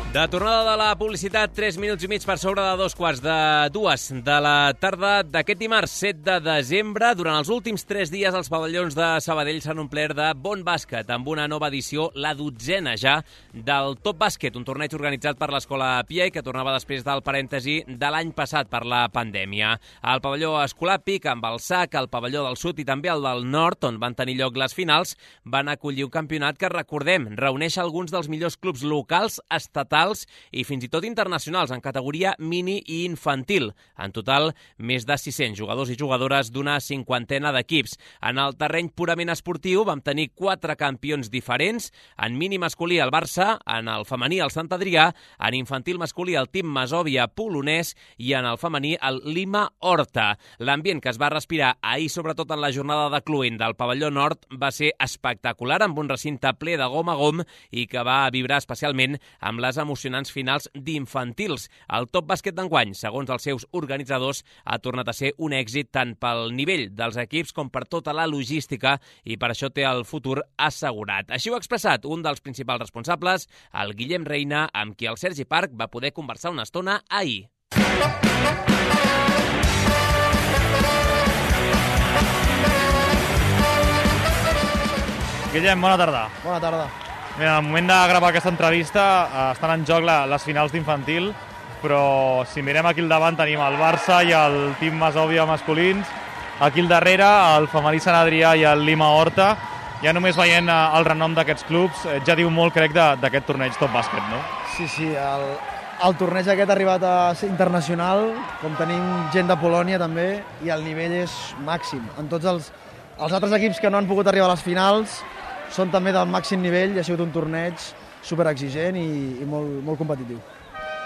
De tornada de la publicitat, tres minuts i mig per sobre de dos quarts de dues de la tarda d'aquest dimarts set de desembre. Durant els últims tres dies, els pavellons de Sabadell s'han omplert de bon bàsquet, amb una nova edició, la dotzena ja, del Top Bàsquet, un torneig organitzat per l'Escola Piai, que tornava després del parèntesi de l'any passat per la pandèmia. El pavelló Escolàpic, amb el S A C, el pavelló del Sud i també el del Nord, on van tenir lloc les finals, van acollir un campionat que, recordem, reuneix alguns dels millors clubs locals, estatals i fins i tot internacionals en categoria mini i infantil. En total, més de sis-cents jugadors i jugadores d'una cinquantena d'equips. En el terreny purament esportiu vam tenir quatre campions diferents. En mini masculí el Barça, en el femení el Sant Adrià, en infantil masculí el Team Masòvia polonès i en el femení el Lima Horta. L'ambient que es va respirar ahir, sobretot en la jornada de cluent del pavelló nord, va ser espectacular, amb un recinte ple de gom a gom i que va vibrar especialment amb les emocionants finals d'infantils. El Top Bàsquet d'enguany, segons els seus organitzadors, ha tornat a ser un èxit tant pel nivell dels equips com per tota la logística i per això té el futur assegurat. Així ho ha expressat un dels principals responsables, el Guillem Reina, amb qui el Sergi Parc va poder conversar una estona ahir. Guillem, bona tarda. Bona tarda. Mira, al moment de gravar aquesta entrevista eh, estan en joc la, les finals d'infantil, però si mirem aquí al davant tenim el Barça i el Team Masòvia masculins, aquí al darrere el femení Sant Adrià i el Lima Horta. Ja només veient eh, el renom d'aquests clubs eh, ja diu molt, crec, d'aquest torneig Top Bàsquet, no? Sí, sí, el, el torneig aquest ha arribat a ser internacional, com tenim gent de Polònia també, i el nivell és màxim. En tots els, els altres equips que no han pogut arribar a les finals són també del màxim nivell i ha sigut un torneig superexigent i, i molt, molt competitiu.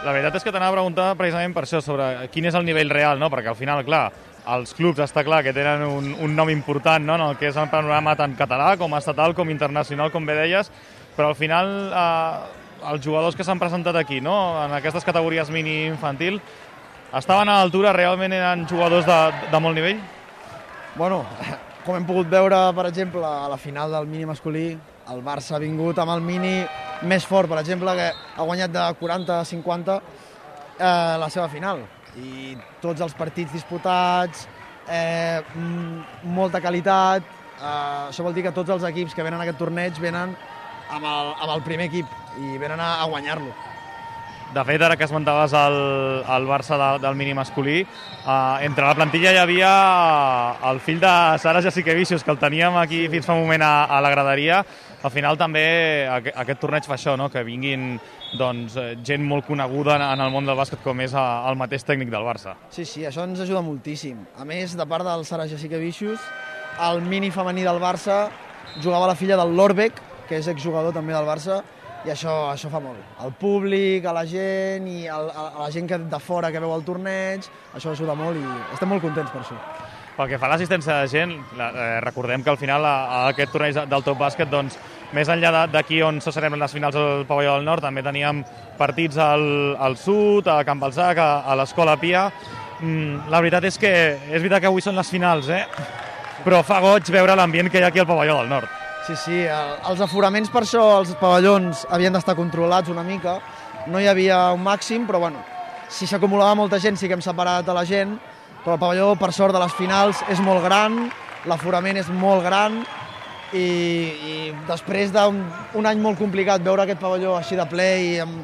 La veritat és que t'anava a preguntar precisament per això, sobre quin és el nivell real, no? Perquè al final, clar, els clubs està clar que tenen un, un nom important, no? En el que és el panorama tant català com estatal com internacional, com bé deies, però al final eh, els jugadors que s'han presentat aquí, no? En aquestes categories mini-infantil, estaven a l'altura, realment eren jugadors de, de molt nivell? Bueno, com hem pogut veure, per exemple, a la final del mini masculí, el Barça ha vingut amb el mini més fort, per exemple, que ha guanyat de quaranta a cinquanta eh, la seva final. I tots els partits disputats, eh, molta qualitat, eh, això vol dir que tots els equips que venen a aquest torneig venen amb el, amb el primer equip i venen a, a guanyar-lo. De fet, ara que esmentaves el, el Barça de, del mini masculí, eh, entre la plantilla hi havia el fill de Sara Jasikevičius, que el teníem aquí fins fa un moment a, a la graderia. Al final també aquest, aquest torneig fa això, no? Que vinguin doncs, gent molt coneguda en el món del bàsquet com és el mateix tècnic del Barça. Sí, sí, això ens ajuda moltíssim. A més, de part del Sara Jasikevičius, el mini femení del Barça jugava la filla del Lorbeck, que és exjugador també del Barça, i això, això fa molt. El públic, a la gent i el, a la gent que de fora que veu el torneig, això ajuda molt i estem molt contents per això. Pel que fa a l'assistència de gent, la, eh, recordem que al final a, a aquest torneig del Top Bàsquet doncs, més enllà d'aquí on se celebren les finals al Pavelló del Nord, també teníem partits al, al sud, a Can Balzac, a, a l'Escola Pia. Mm, la veritat és que és veritat que avui són les finals, eh? Però fa goig veure l'ambient que hi ha aquí al Pavelló del Nord. Sí, sí, el, els aforaments per això, els pavellons havien d'estar controlats una mica, no hi havia un màxim, però bueno, si s'acumulava molta gent sí que hem separat a la gent, però el pavelló, per sort, de les finals és molt gran, l'aforament és molt gran, i, i després d'un un any molt complicat veure aquest pavelló així de ple i amb,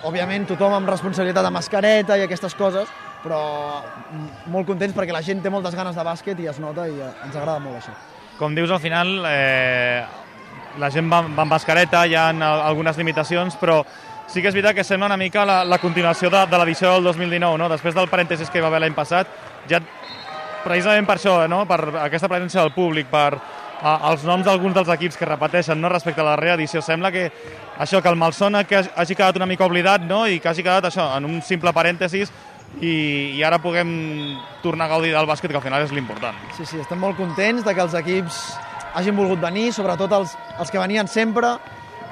òbviament, tothom amb responsabilitat de mascareta i aquestes coses, però molt contents perquè la gent té moltes ganes de bàsquet i es nota i ens agrada molt això. Com dius, al final eh, la gent va, va amb mascareta, hi ha algunes limitacions, però sí que és veritat que sembla una mica la, la continuació de, de l'edició del dos mil dinou, no? Després del parèntesis que hi va haver l'any passat, ja precisament per això, no? Per aquesta presència del públic, per a, els noms d'alguns dels equips que repeteixen, no? Respecte a la reedició, sembla que això, que el malson que hagi quedat una mica oblidat, no? I que hagi quedat això, en un simple parèntesis, i, i ara puguem tornar a gaudir del bàsquet, que al final és l'important. Sí, sí, estem molt contents de que els equips hagin volgut venir, sobretot els, els que venien sempre,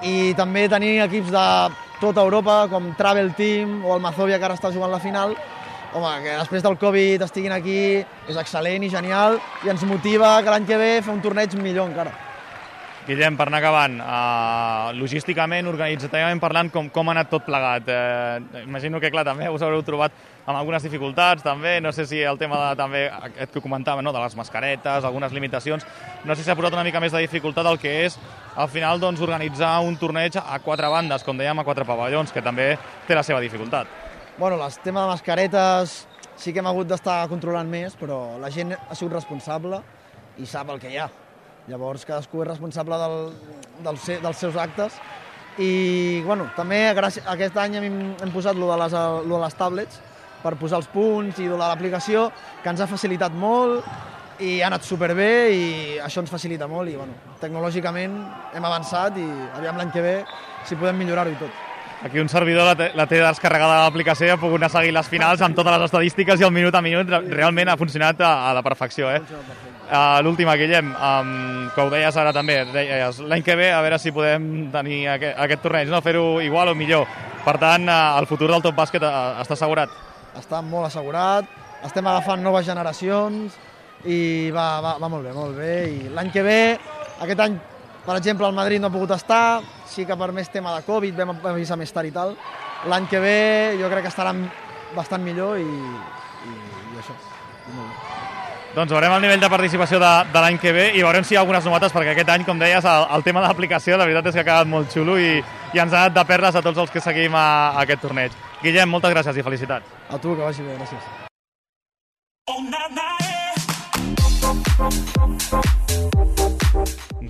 i també tenir equips de tota Europa, com Travel Team o el Mazovia, que ara està jugant la final. Home, que després del Covid estiguin aquí és excel·lent i genial, i ens motiva que l'any que ve fer un torneig millor encara. Guillem, per anar acabant, uh, logísticament, organitzativament parlant, com, com ha anat tot plegat? Uh, imagino que, clar, també us haureu trobat amb algunes dificultats, també, no sé si el tema de, també, aquest que comentava, no?, de les mascaretes, algunes limitacions, no sé si s'ha posat una mica més de dificultat el que és, al final, doncs, organitzar un torneig a quatre bandes, com dèiem, a quatre pavellons, que també té la seva dificultat. Bueno, el tema de mascaretes sí que hem hagut d'estar controlant més, però la gent ha sigut responsable i sap el que hi ha. Llavors, cadascú és responsable del, del, dels seus actes. I, bueno, també gràcies, aquest any hem, hem posat lo de, les, lo de les tablets per posar els punts i lo de l'aplicació, que ens ha facilitat molt i ha anat superbé i això ens facilita molt. I, bueno, tecnològicament hem avançat i aviam l'any que ve si podem millorar-ho i tot. Aquí un servidor la té, la té descarregada a l'aplicació i ha pogut anar a seguir les finals amb totes les estadístiques i el minut a minut realment ha funcionat a, a la perfecció. Eh? Uh, L'última, Guillem, um, que ho deies ara també, deies l'any que ve a veure si podem tenir aquest, aquest torneig, no? Fer-ho igual o millor. Per tant, uh, el futur del Top Bàsquet uh, està assegurat. Està molt assegurat, estem agafant noves generacions i va, va, va molt bé, molt bé. I l'any que ve, aquest any, per exemple, el Madrid no ha pogut estar, sí que per més tema de Covid vam avisar més tard i tal. L'any que ve jo crec que estarà bastant millor i, i, i això. I molt bé. Doncs veurem el nivell de participació de, de l'any que ve i veurem si hi ha algunes novetats, perquè aquest any, com deies, el, el tema de l'aplicació, la veritat és que ha quedat molt xulo i, i ens ha anat de perles a tots els que seguim a, a aquest torneig. Guillem, moltes gràcies i felicitats. A tu, que vagi bé, gràcies.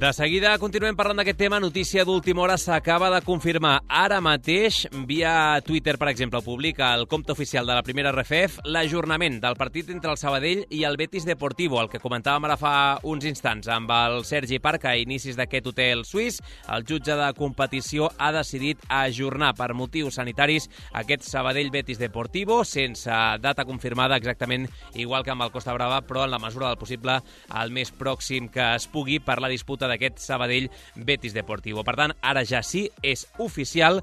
De seguida continuem parlant d'aquest tema. Notícia d'última hora s'acaba de confirmar ara mateix, via Twitter, per exemple, publica el compte oficial de la primera R F F l'ajornament del partit entre el Sabadell i el Betis Deportivo, el que comentàvem ara fa uns instants amb el Sergi Parc a inicis d'aquest hotel suís. El jutge de competició ha decidit ajornar per motius sanitaris aquest Sabadell-Betis Deportivo sense data confirmada, exactament igual que amb el Costa Brava, però en la mesura del possible el més pròxim que es pugui per la disputa d'aquest Sabadell-Betis Deportivo. Per tant, ara ja sí, és oficial,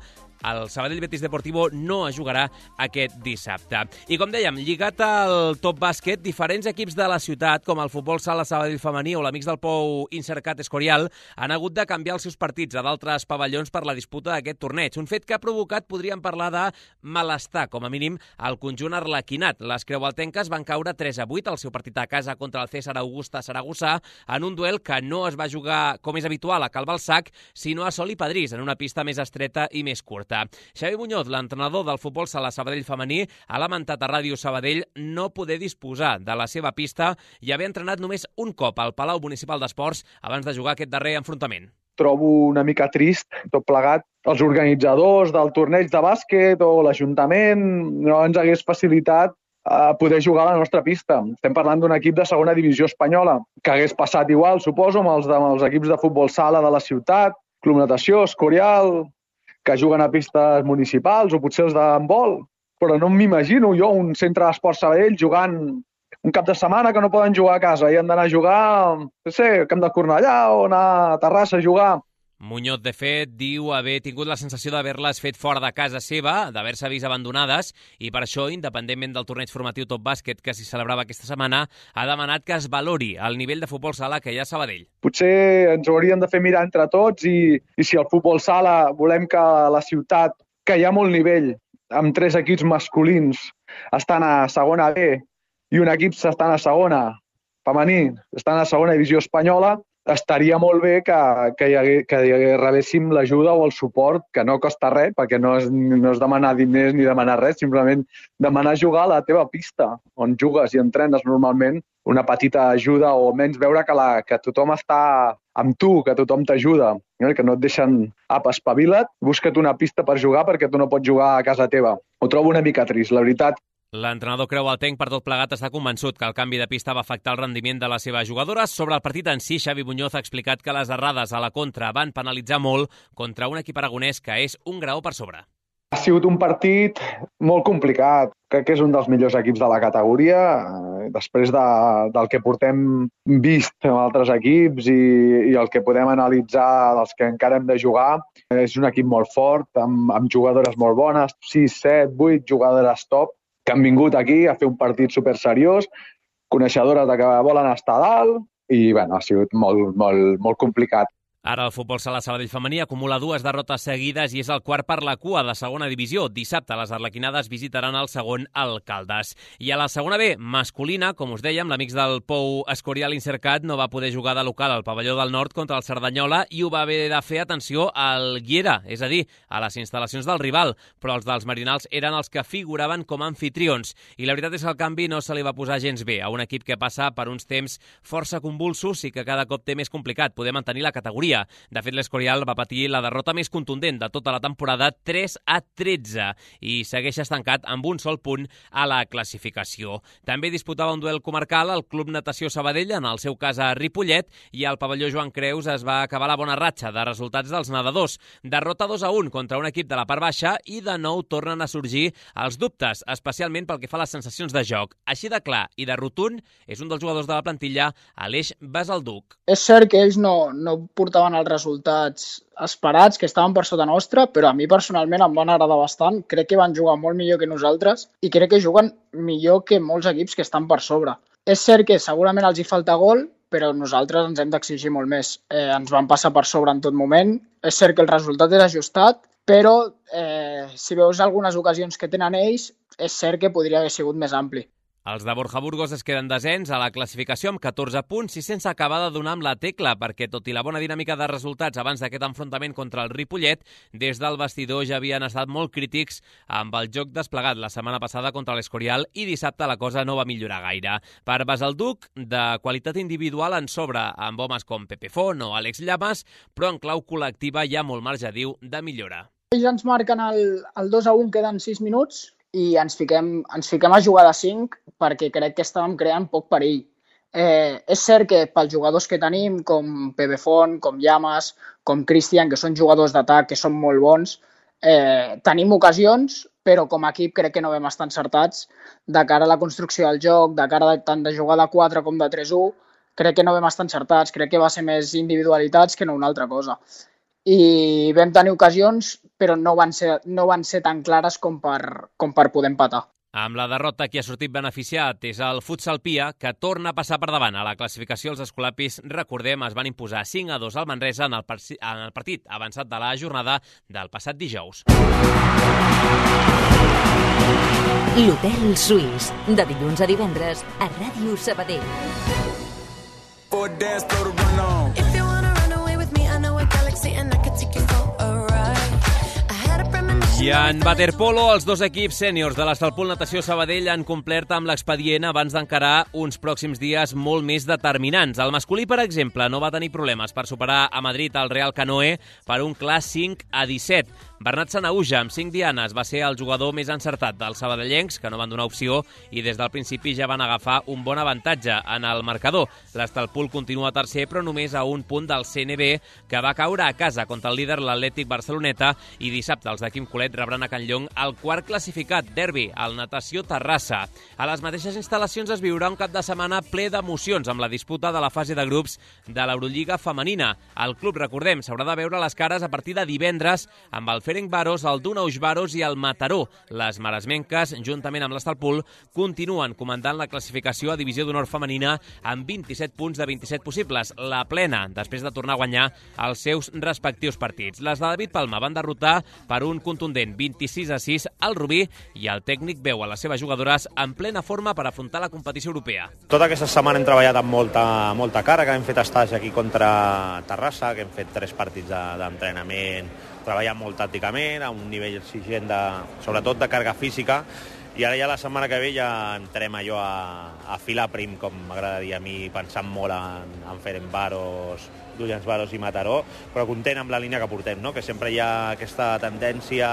el Sabadell-Betis Deportivo no es jugarà aquest dissabte. I com dèiem, lligat al Top Bàsquet, diferents equips de la ciutat, com el Futbol Sala Sabadell femení o l'Amics del Pou Insercat Escorial, han hagut de canviar els seus partits a d'altres pavellons per la disputa d'aquest torneig. Un fet que ha provocat, podríem parlar de malestar, com a mínim, al conjunt arlequinat. Les creualtenques van caure tres a vuit al seu partit a casa contra el César Augusta Saragossa en un duel que no es va jugar, com és habitual, a Cal Balzac, sinó a Sol i Padrís, en una pista més estreta i més curta. Xavi Muñoz, l'entrenador del Futbol Sala Sabadell femení, ha lamentat a Ràdio Sabadell no poder disposar de la seva pista i haver entrenat només un cop al Palau Municipal d'Esports abans de jugar aquest darrer enfrontament. Trobo una mica trist, tot plegat. Els organitzadors del torneig de bàsquet o l'Ajuntament no ens hagués facilitat a poder jugar a la nostra pista. Estem parlant d'un equip de segona divisió espanyola, que hagués passat igual, suposo, amb els, amb els equips de futbol sala de la ciutat, Club Natació, Escorial, que juguen a pistes municipals o potser els d'handbol, però no m'imagino jo un centre d'esport Sabadell jugant un cap de setmana que no poden jugar a casa i han d'anar a jugar, no sé, al Camp de Cornellà o anar a Terrassa a jugar. Muñoz, de fet, diu haver tingut la sensació d'haver-les fet fora de casa seva, d'haver-se vist abandonades, i per això, independentment del torneig formatiu Top Bàsquet que s'hi celebrava aquesta setmana, ha demanat que es valori el nivell de futbol sala que hi ha a Sabadell. Potser ens ho hauríem de fer mirar entre tots i, i si el futbol sala volem que la ciutat, que hi ha molt nivell, amb tres equips masculins, estan a segona B i un equip estan a segona femení, estan a segona divisió espanyola, estaria molt bé que, que, hi hagués, que hi hagués, rebéssim l'ajuda o el suport, que no costa res, perquè no és, no és demanar diners ni demanar res, simplement demanar jugar a la teva pista, on jugues i entrenes normalment, una petita ajuda o menys veure que, la, que tothom està amb tu, que tothom t'ajuda, eh? Que no et deixen apa, espavila't, busca't una pista per jugar perquè tu no pots jugar a casa teva. Ho trobo una mica trist, la veritat. L'entrenador Creu Altenc, per tot plegat, està convençut que el canvi de pista va afectar el rendiment de les seves jugadores. Sobre el partit en si, Xavi Muñoz ha explicat que les errades a la contra van penalitzar molt contra un equip aragonès que és un graó per sobre. Ha sigut un partit molt complicat. Crec que és un dels millors equips de la categoria. Després de, del que portem vist amb altres equips i, i el que podem analitzar dels que encara hem de jugar, és un equip molt fort, amb, amb jugadores molt bones, sis, set, vuit jugadores top, que han vingut aquí a fer un partit super seriós, coneixedores de que volen estar a dalt, i bueno, ha sigut molt, molt, molt complicat. Ara el futbol sala Sabadell femení acumula dues derrotes seguides i és el quart per la cua de segona divisió. Dissabte les arlequinades visitaran el segon al Caldes. I a la segona B, masculina, com us dèiem, l'amics del Pou Escorial Incercat no va poder jugar de local al pavelló del Nord contra el Cerdanyola i ho va haver de fer, atenció, al Guiera, és a dir, a les instal·lacions del rival, però els dels Marinals eren els que figuraven com a anfitrions. I la veritat és que el canvi no se li va posar gens bé a un equip que passa per uns temps força convulsos i que cada cop té més complicat poder mantenir la categoria. De fet, l'Escorial va patir la derrota més contundent de tota la temporada, tres a tretze, i segueix estancat amb un sol punt a la classificació. També disputava un duel comarcal al Club Natació Sabadell, en el seu cas a Ripollet, i al pavelló Joan Creus es va acabar la bona ratxa de resultats dels nedadors. Derrota dos a un contra un equip de la part baixa i de nou tornen a sorgir els dubtes, especialment pel que fa a les sensacions de joc. Així de clar i de rotund és un dels jugadors de la plantilla, Aleix Basalduc. És cert que ells no, no portaven els resultats esperats, que estaven per sota nostra, però a mi personalment em van agradar bastant. Crec que van jugar molt millor que nosaltres i crec que juguen millor que molts equips que estan per sobre. És cert que segurament els hi falta gol, però nosaltres ens hem d'exigir molt més. Eh, ens van passar per sobre en tot moment. És cert que el resultat és ajustat, però eh, si veus algunes ocasions que tenen ells, és cert que podria haver sigut més ampli. Els de Borja Burgos es queden desens a la classificació amb catorze punts i sense acabar de donar amb la tecla, perquè tot i la bona dinàmica de resultats abans d'aquest enfrontament contra el Ripollet, des del vestidor ja havien estat molt crítics amb el joc desplegat la setmana passada contra l'Escorial i dissabte la cosa no va millorar gaire. Per Basalduc, de qualitat individual en sobre, amb homes com Pepe Font o Àlex Llamas, però en clau col·lectiva hi ha molt marge, diu, de millora. Ells ens marquen el, el dos a un, queden sis minuts, i ens fiquem, ens fiquem a jugar de cinc perquè crec que estàvem creant poc perill. Eh, és cert que pels jugadors que tenim, com Pepe Font, com Llamas, com Cristian, que són jugadors d'atac, que són molt bons, eh, tenim ocasions, però com a equip crec que no vam estar encertats de cara a la construcció del joc, de cara a tant de jugar de quatre com de tres a u, crec que no vam estar encertats, crec que va ser més individualitats que no una altra cosa. I vam tenir ocasions, però no van ser, no van ser tan clares com per, com per poder empatar. Amb la derrota, qui ha sortit beneficiat és el Futsal Pia, que torna a passar per davant. A la classificació, els escolapis, recordem, es van imposar cinc a dos al Manresa en el, en el partit avançat de la jornada del passat dijous. L'Hotel Suís, de dilluns a divendres, a Ràdio Sabadell. I en waterpolo, els dos equips sèniors de l'Estalpol Natació Sabadell han complert amb l'expedient abans d'encarar uns pròxims dies molt més determinants. El masculí, per exemple, no va tenir problemes per superar a Madrid el Real Canoe per un clar cinc a disset. Bernat Sanauja, amb cinc dianes, va ser el jugador més encertat dels sabadellencs, que no van donar opció i des del principi ja van agafar un bon avantatge en el marcador. L'Estalpol continua tercer, però només a un punt del C N B, que va caure a casa contra el líder l'Atlètic Barceloneta, i dissabte els de Quim Colet Ripollet rebran a Can Llong el quart classificat, derbi, al Natació Terrassa. A les mateixes instal·lacions es viurà un cap de setmana ple d'emocions amb la disputa de la fase de grups de l'Eurolliga femenina. El club, recordem, s'haurà de veure les cares a partir de divendres amb el Ferencváros, el Dunajsváros i el Mataró. Les maresmenques, juntament amb l'Estalpul, continuen comandant la classificació a Divisió d'Honor femenina amb vint-i-set punts de vint-i-set possibles, la plena, després de tornar a guanyar els seus respectius partits. Les de David Palma van derrotar per un contundent vint-i-sis a sis al Rubí i el tècnic veu a les seves jugadores en plena forma per afrontar la competició europea. Tota aquesta setmana hem treballat amb molta, molta càrrega, hem fet estats aquí contra Terrassa, que hem fet tres partits d'entrenament, treballant molt tàcticament, a un nivell exigent, de, sobretot de càrrega física, i ara ja la setmana que ve ja entrem allò a, a filar prim, com m'agrada dir a mi, pensant molt en, en Ferencváros, Dunajsváros i Mataró, però content amb la línia que portem, no? Que sempre hi ha aquesta tendència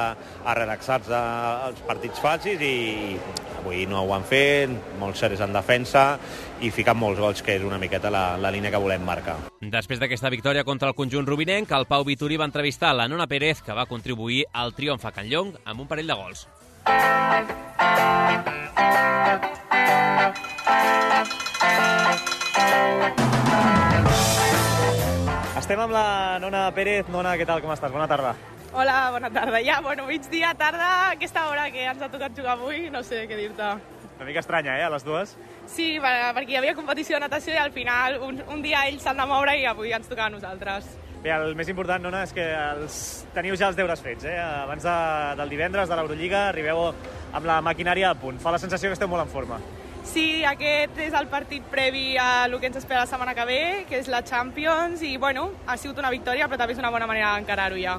a relaxar-se als partits fàcils i avui no ho han fet, molts serres en defensa i ficant molts gols, que és una miqueta la, la línia que volem marcar. Després d'aquesta victòria contra el conjunt rubinenc, el Pau Vituri va entrevistar la Nona Pérez, que va contribuir al triomf a Can Llong amb un parell de gols. Estem amb la Nona Pérez. Nona, què tal, com estàs? Bona tarda. Hola, bona tarda. Ja, bueno, migdia, tarda, aquesta hora que ens ha tocat jugar avui, no sé què dir-te. Una mica estranya, eh, a les dues? Sí, perquè hi havia competició de natació i al final un, un dia ells s'han de moure i avui ens toca a nosaltres. Bé, el més important, Nona, és que els... teniu ja els deures fets, eh? Abans de, del divendres de l'Eurolliga arribeu amb la maquinària a punt. Fa la sensació que esteu molt en forma. Sí, aquest és el partit previ a el que ens espera la setmana que ve, que és la Champions, i bueno, ha sigut una victòria, però també és una bona manera d'encarar-ho ja.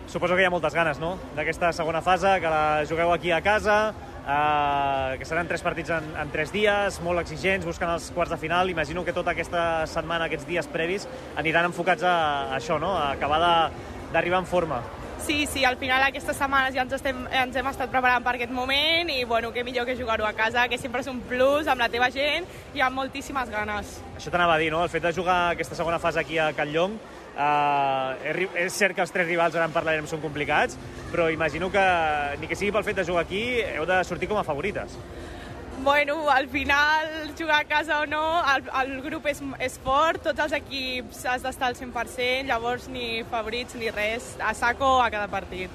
Suposo que hi ha moltes ganes, no?, d'aquesta segona fase, que la jugueu aquí a casa, eh, que seran tres partits en, en tres dies, molt exigents, buscant els quarts de final. Imagino que tota aquesta setmana, aquests dies previs, aniran enfocats a, a això, no?, a acabar d'arribar en forma. Sí, sí, al final aquestes setmanes ja ens, estem, ens hem estat preparant per aquest moment i bueno, què millor que jugar-ho a casa, que sempre és un plus amb la teva gent i amb moltíssimes ganes. Això t'anava a dir, no?, el fet de jugar aquesta segona fase aquí a Can Llong, eh, és cert que els tres rivals, ara en parlarem, són complicats, però imagino que ni que sigui pel fet de jugar aquí heu de sortir com a favorites. Bueno, al final, jugar a casa o no, el, el grup és, és fort, tots els equips has d'estar al cent per cent, llavors ni favorits ni res, a saco a cada partit.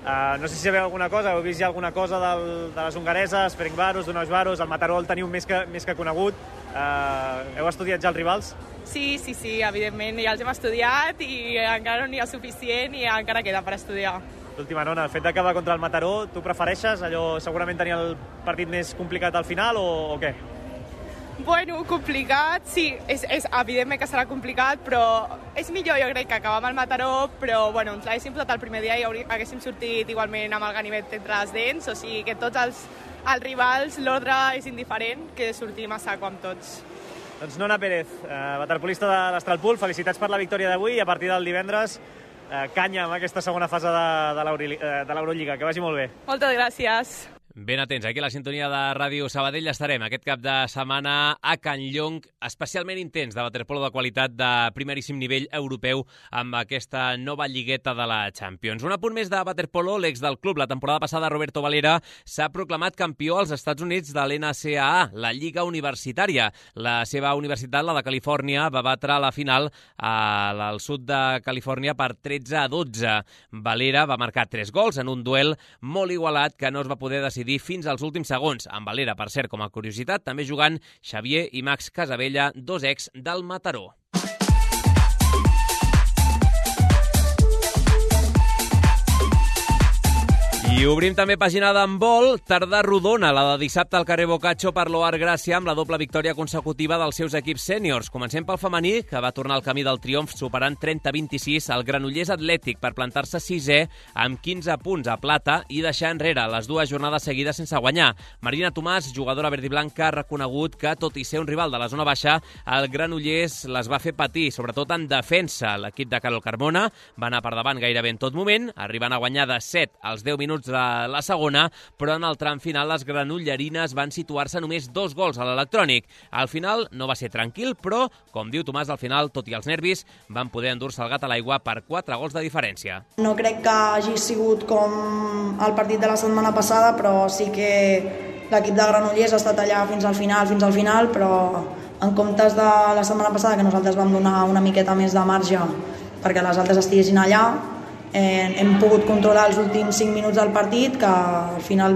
Uh, no sé si sabeu alguna cosa, heu vist ja alguna cosa del, de les hongareses, Ferencváros, Dunajsváros, el Mataró el teniu més que, més que conegut. Uh, heu estudiat ja els rivals? Sí, sí, sí, evidentment, ja els hem estudiat i encara no n'hi ha suficient i encara queda per estudiar. L'última, Nona, el fet d'acabar contra el Mataró, tu prefereixes allò segurament tenir el partit més complicat al final o, o què? Bueno, complicat, sí, és, és evidentment que serà complicat, però és millor, jo crec, que acabar amb el Mataró, però bueno, ens l'haguéssim posat el primer dia i haurí, haguéssim sortit igualment amb el ganivet entre les dents, o sigui que tots els, els rivals, l'ordre és indiferent, que sortim a saco amb tots. Doncs Nona Pérez, eh, waterpolista de l'Estralpul, felicitats per la victòria d'avui i a partir del divendres eh, canya amb aquesta segona fase de l'Eurolliga. Que vagi molt bé. Moltes gràcies. Ben atents, aquí a la sintonia de Ràdio Sabadell estarem aquest cap de setmana a Can Llong, especialment intens de waterpolo de qualitat de primeríssim nivell europeu amb aquesta nova lligueta de la Champions. Un apunt més de waterpolo, l'ex del club la temporada passada, Roberto Valera, s'ha proclamat campió als Estats Units de l'N C A A, la Lliga Universitària. La seva universitat, la de Califòrnia, va batre a la final al sud de Califòrnia per tretze a dotze. Valera va marcar tres gols en un duel molt igualat que no es va poder decidir fins als últims segons. Amb Valera, per cert, com a curiositat, també jugant Xavier i Max Casabella, dos ex del Mataró. I obrim també pàgina d'handbol, tarda rodona, la de dissabte al carrer Boccaccio per l'O Ar Gràcia amb la doble victòria consecutiva dels seus equips sèniors. Comencem pel femení, que va tornar al camí del triomf superant trenta a vint-i-sis al Granollers Atlètic per plantar-se sisè amb quinze punts a plata i deixar enrere les dues jornades seguides sense guanyar. Marina Tomàs, jugadora verdiblanca, ha reconegut que, tot i ser un rival de la zona baixa, el Granollers les va fer patir, sobretot en defensa. L'equip de Carol Carmona va anar per davant gairebé en tot moment, arribant a guanyar de set als deu minuts minuts de la segona, però en el tram final les granollerines van situar-se només dos gols a l'electrònic. Al final no va ser tranquil, però, com diu Tomàs, al final, tot i els nervis, van poder endur-se el gat a l'aigua per quatre gols de diferència. No crec que hagi sigut com el partit de la setmana passada, però sí que l'equip de Granollers ha estat allà fins al final, fins al final, però en comptes de la setmana passada, que nosaltres vam donar una miqueta més de marge perquè les altres estiguessin allà, eh, hem pogut controlar els últims cinc minuts del partit, que al final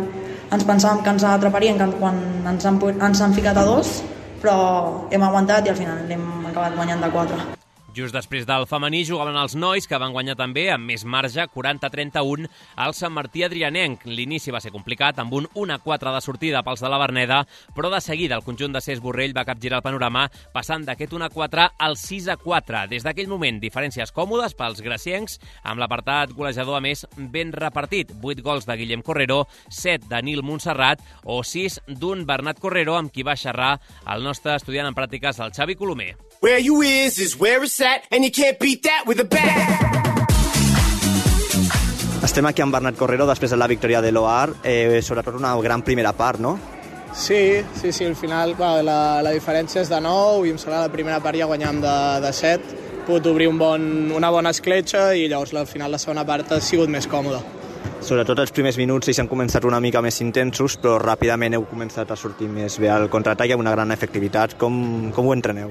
ens pensàvem que ens atraparien quan ens han, ens han ficat a dos, però hem aguantat i al final hem acabat guanyant de quatre. Just després del femení jugaven els nois, que van guanyar també amb més marge, quaranta a trenta-un, al Sant Martí Adrianenc. L'inici va ser complicat, amb un un a quatre de sortida pels de la Verneda, però de seguida el conjunt de Cés Borrell va capgirar el panorama, passant d'aquest un a quatre al sis a quatre. Des d'aquell moment, diferències còmodes pels graciencs, amb l'apartat golejador a més ben repartit. vuit gols de Guillem Correro, set de Nil Montserrat o sis d'un Bernat Correro, amb qui va xerrar el nostre estudiant en pràctiques, el Xavi Colomer. Where you is is where it's at, and you can't beat that with a bat. Estem aquí amb Bernat Correro després de la victòria de l'O A R, eh, sobretot una gran primera part, no? Sí, sí, sí, al final clar, la, la diferència és de nou i em sembla la primera part ja guanyàvem de, de set, he pogut obrir un bon, una bona escletxa i llavors al final la segona part ha sigut més còmoda. Sobretot els primers minuts ells han començat una mica més intensos, però ràpidament heu començat a sortir més bé al contraatac amb una gran efectivitat. Com, com ho entreneu?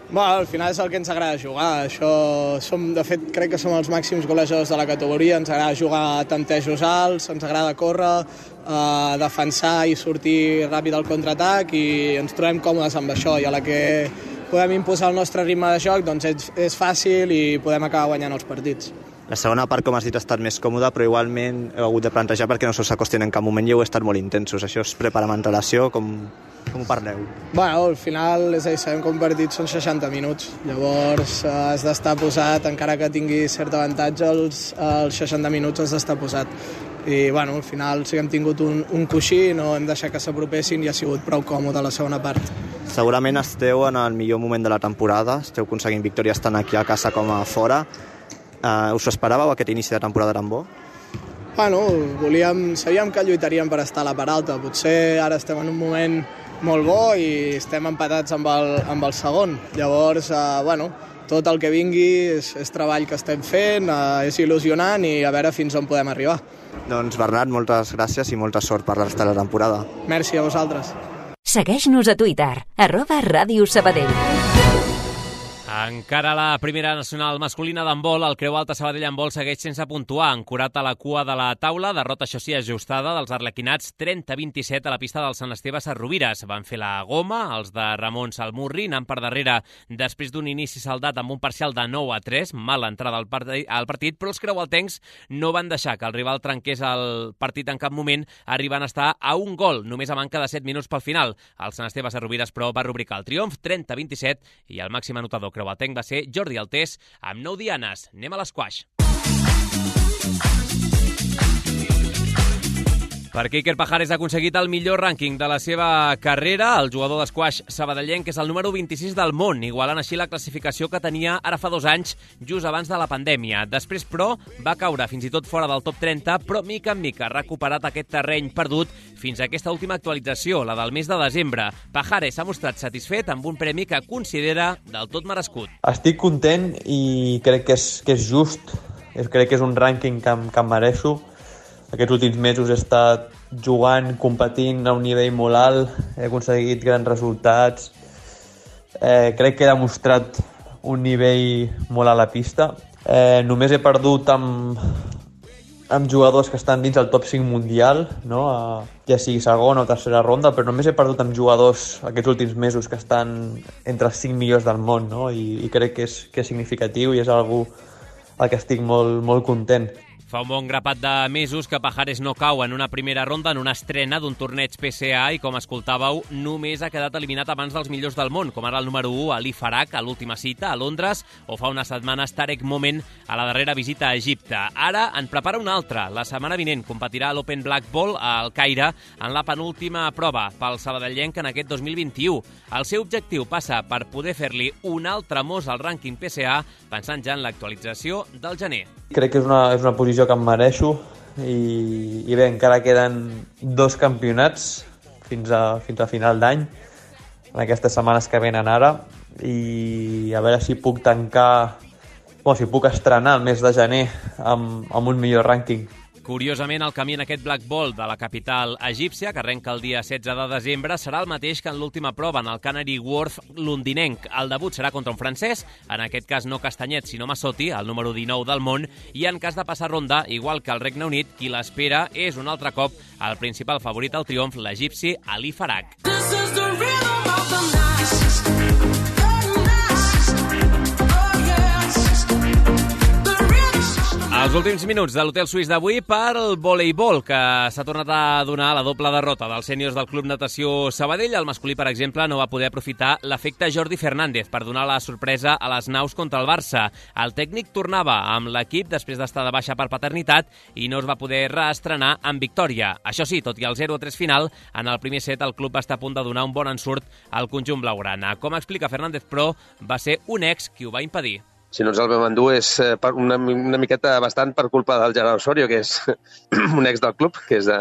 Bueno, al final és el que ens agrada jugar. Això som, de fet, crec que som els màxims golejadors de la categoria. Ens agrada jugar a tantejos alts, ens agrada córrer, eh, defensar i sortir ràpid al contraatac i ens trobem còmodes amb això. I a la que podem imposar el nostre ritme de joc, doncs és, és fàcil i podem acabar guanyant els partits. La segona part, com has dit, ha estat més còmoda, però igualment heu hagut de plantejar perquè no se us acosten en cap moment i heu estat molt intensos. Això es prepara amb antelació, com, com ho parleu? Bueno, al final, és a dir, sabem que un partit són seixanta minuts, llavors eh, has d'estar posat, encara que tingui cert avantatge, els, els seixanta minuts has d'estar posat. I bueno, al final sí que hem tingut un, un coixí, no hem deixat que s'apropessin i ha sigut prou còmode la segona part. Segurament esteu en el millor moment de la temporada, esteu aconseguint victòries tant aquí a casa com a fora. Uh, us ho esperàveu, aquest inici de temporada tan bo? Bueno, volíem, sabíem que lluitaríem per estar a la part alta. Potser ara estem en un moment molt bo i estem empatats amb el, amb el segon. Llavors, uh, bueno, tot el que vingui és, és treball que estem fent, uh, és il·lusionant i a veure fins on podem arribar. Doncs Bernat, moltes gràcies i molta sort per la resta de la temporada. Merci a vosaltres. Segueix-nos a Twitter, arroba Ràdio Sabadell. Encara a la primera nacional masculina d'handbol, el Creu Alta Sabadell handbol segueix sense puntuar. Ancorat a la cua de la taula, derrota això sí ajustada dels arlequinats trenta a vint-i-set a la pista del Sant Esteve Sarrovires. Van fer la goma, els de Ramon Salmurri, anant per darrere després d'un inici saldat amb un parcial de nou a tres, mala entrada al, part al partit, però els creualtencs no van deixar que el rival trenqués el partit en cap moment, arribant a estar a un gol, només a manca de set minuts pel final. El Sant Esteve Sarrovires, però, va rubricar el triomf trenta a vint-i-set i el màxim anotador creualtenc va ser Jordi Altés amb nou dianes. Anem a l'esquaix. Perquè Iker Pajares ha aconseguit el millor rànquing de la seva carrera. El jugador d'esquaix sabadellenc és el número vint-i-sis del món, igualant així la classificació que tenia ara fa dos anys, just abans de la pandèmia. Després, però, va caure fins i tot fora del top trenta, però mica en mica ha recuperat aquest terreny perdut fins a aquesta última actualització, la del mes de desembre. Pajares s'ha mostrat satisfet amb un premi que considera del tot merescut. Estic content i crec que és, que és just. Crec que és un rànquing que, que em mereixo. Aquests últims mesos he estat jugant, competint a un nivell molt alt, he aconseguit grans resultats, eh, crec que he demostrat un nivell molt a la pista. Eh, només he perdut amb, amb jugadors que estan dins el top cinc mundial, no? eh, ja sigui segona o tercera ronda, però només he perdut amb jugadors aquests últims mesos que estan entre els cinc millors del món, no? I, i crec que és, que és significatiu i és algú al que estic molt, molt content. Fa un bon grapat de mesos que Pajares no cau en una primera ronda en una estrena d'un torneig P C A i, com escoltàveu, només ha quedat eliminat abans dels millors del món, com ara el número u, Ali Farag, a l'última cita a Londres, o fa unes setmanes Tarek Moment a la darrera visita a Egipte. Ara en prepara una altra. La setmana vinent competirà a l'Open Black Ball al Caire en la penúltima prova pel sabadellenc en aquest dos mil vint-i-u. El seu objectiu passa per poder fer-li un altre mos al rànquing P C A, pensant ja en l'actualització del gener. Crec que és una, és una posició que em mereixo. i, i bé, encara queden dos campionats fins a, fins a final d'any, en aquestes setmanes que venen ara, i a veure si puc tancar, bueno, si puc estrenar el mes de gener amb, amb un millor rànquing. Curiosament, el camí en aquest Black Ball de la capital egípcia, que arrenca el dia setze de desembre, serà el mateix que en l'última prova, en el Canary Wharf londinenc. El debut serà contra un francès, en aquest cas no Castanyet, sinó Massotti, el número dinou del món, i en cas de passar ronda, igual que el Regne Unit, qui l'espera és un altre cop el principal favorit al triomf, l'egipci Ali Farag. Els últims minuts de l'Hotel Suís d'avui per al voleibol, que s'ha tornat a donar la doble derrota dels sèniors del Club Natació Sabadell. El masculí, per exemple, no va poder aprofitar l'efecte Jordi Fernández per donar la sorpresa a les naus contra el Barça. El tècnic tornava amb l'equip després d'estar de baixa per paternitat i no es va poder reestrenar amb victòria. Això sí, tot i el zero a tres final, en el primer set el club va estar a punt de donar un bon ensurt al conjunt blaugrana. Com explica Fernández, però, va ser un ex qui ho va impedir. Si no ens el vam endur és una, una miqueta bastant per culpa del Gerard Osorio, que és un ex del club, que és de,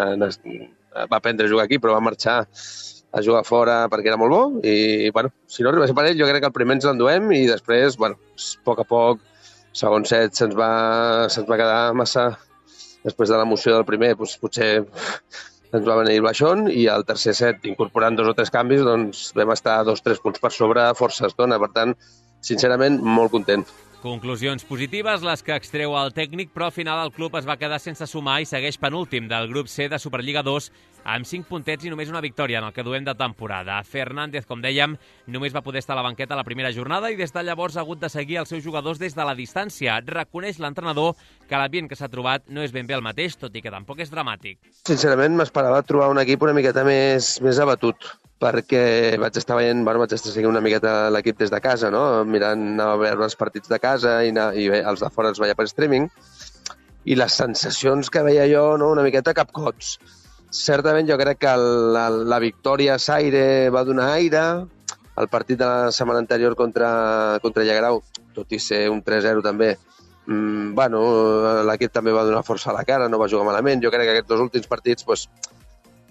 va aprendre a jugar aquí, però va marxar a jugar fora perquè era molt bo. I, bueno, si no arribés per ell, jo crec que el primer ens l'enduem i després, bueno, a poc a poc, segon set se'ns va, se'ns va quedar massa... Després de l'emoció del primer, doncs, potser ens va venir el baixón, i al tercer set, incorporant dos o tres canvis, doncs vam estar dos o tres punts per sobre força estona. Per tant, sincerament, molt content. Conclusions positives, les que extreu el tècnic, però al final el club es va quedar sense sumar i segueix penúltim del grup C de Superliga dos amb cinc puntets i només una victòria en el que duem de temporada. Fernández, com dèiem, només va poder estar a la banqueta la primera jornada i des de llavors ha hagut de seguir els seus jugadors des de la distància. Reconeix l'entrenador que l'ambient que s'ha trobat no és ben bé el mateix, tot i que tampoc és dramàtic. Sincerament, m'esperava trobar un equip una miqueta més, més abatut, perquè vaig estar veient, bueno, vaig estar seguint una miqueta l'equip des de casa, no? Mirant a veure els partits de casa i, anar, i bé, els de fora els veia per streaming, i les sensacions que veia jo, no? Una miqueta capcots. Certament jo crec que la, la victòria a Saire va donar aire, el partit de la setmana anterior contra, contra Llagrau, tot i ser un tres zero també, mmm, bueno, l'equip també va donar força a la cara, no va jugar malament. Jo crec que aquests dos últims partits, pues,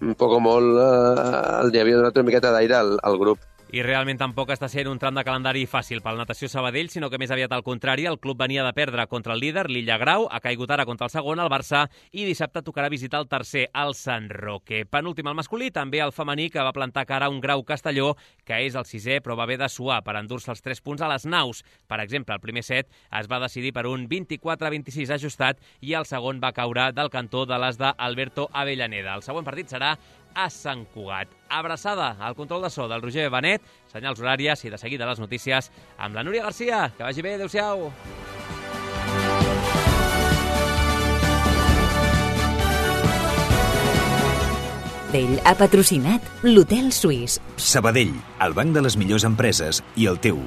un poc o molt, eh, li havia donat una miqueta d'aire al, al grup. I realment tampoc està sent un tram de calendari fàcil pel Natació Sabadell, sinó que més aviat al contrari, el club venia de perdre contra el líder, l'Illa Grau, ha caigut ara contra el segon, el Barça, i dissabte tocarà visitar el tercer, el Sant Roque. Penúltim al masculí, també el femení, que va plantar cara a un Grau Castelló, que és el sisè, però va haver de suar per endur-se els tres punts a les naus. Per exemple, el primer set es va decidir per un vint-i-quatre a vint-i-sis ajustat i el segon va caure del cantó de les d'Alberto Avellaneda. El següent partit serà a Sant Cugat. Abraçada al control de so del Roger Benet, senyals horàries i de seguida les notícies amb la Núria Garcia. Que vagi bé, adéu-siau. Sabadell ha patrocinat l'Hotel Suís. Sabadell, el banc de les millors empreses i el teu.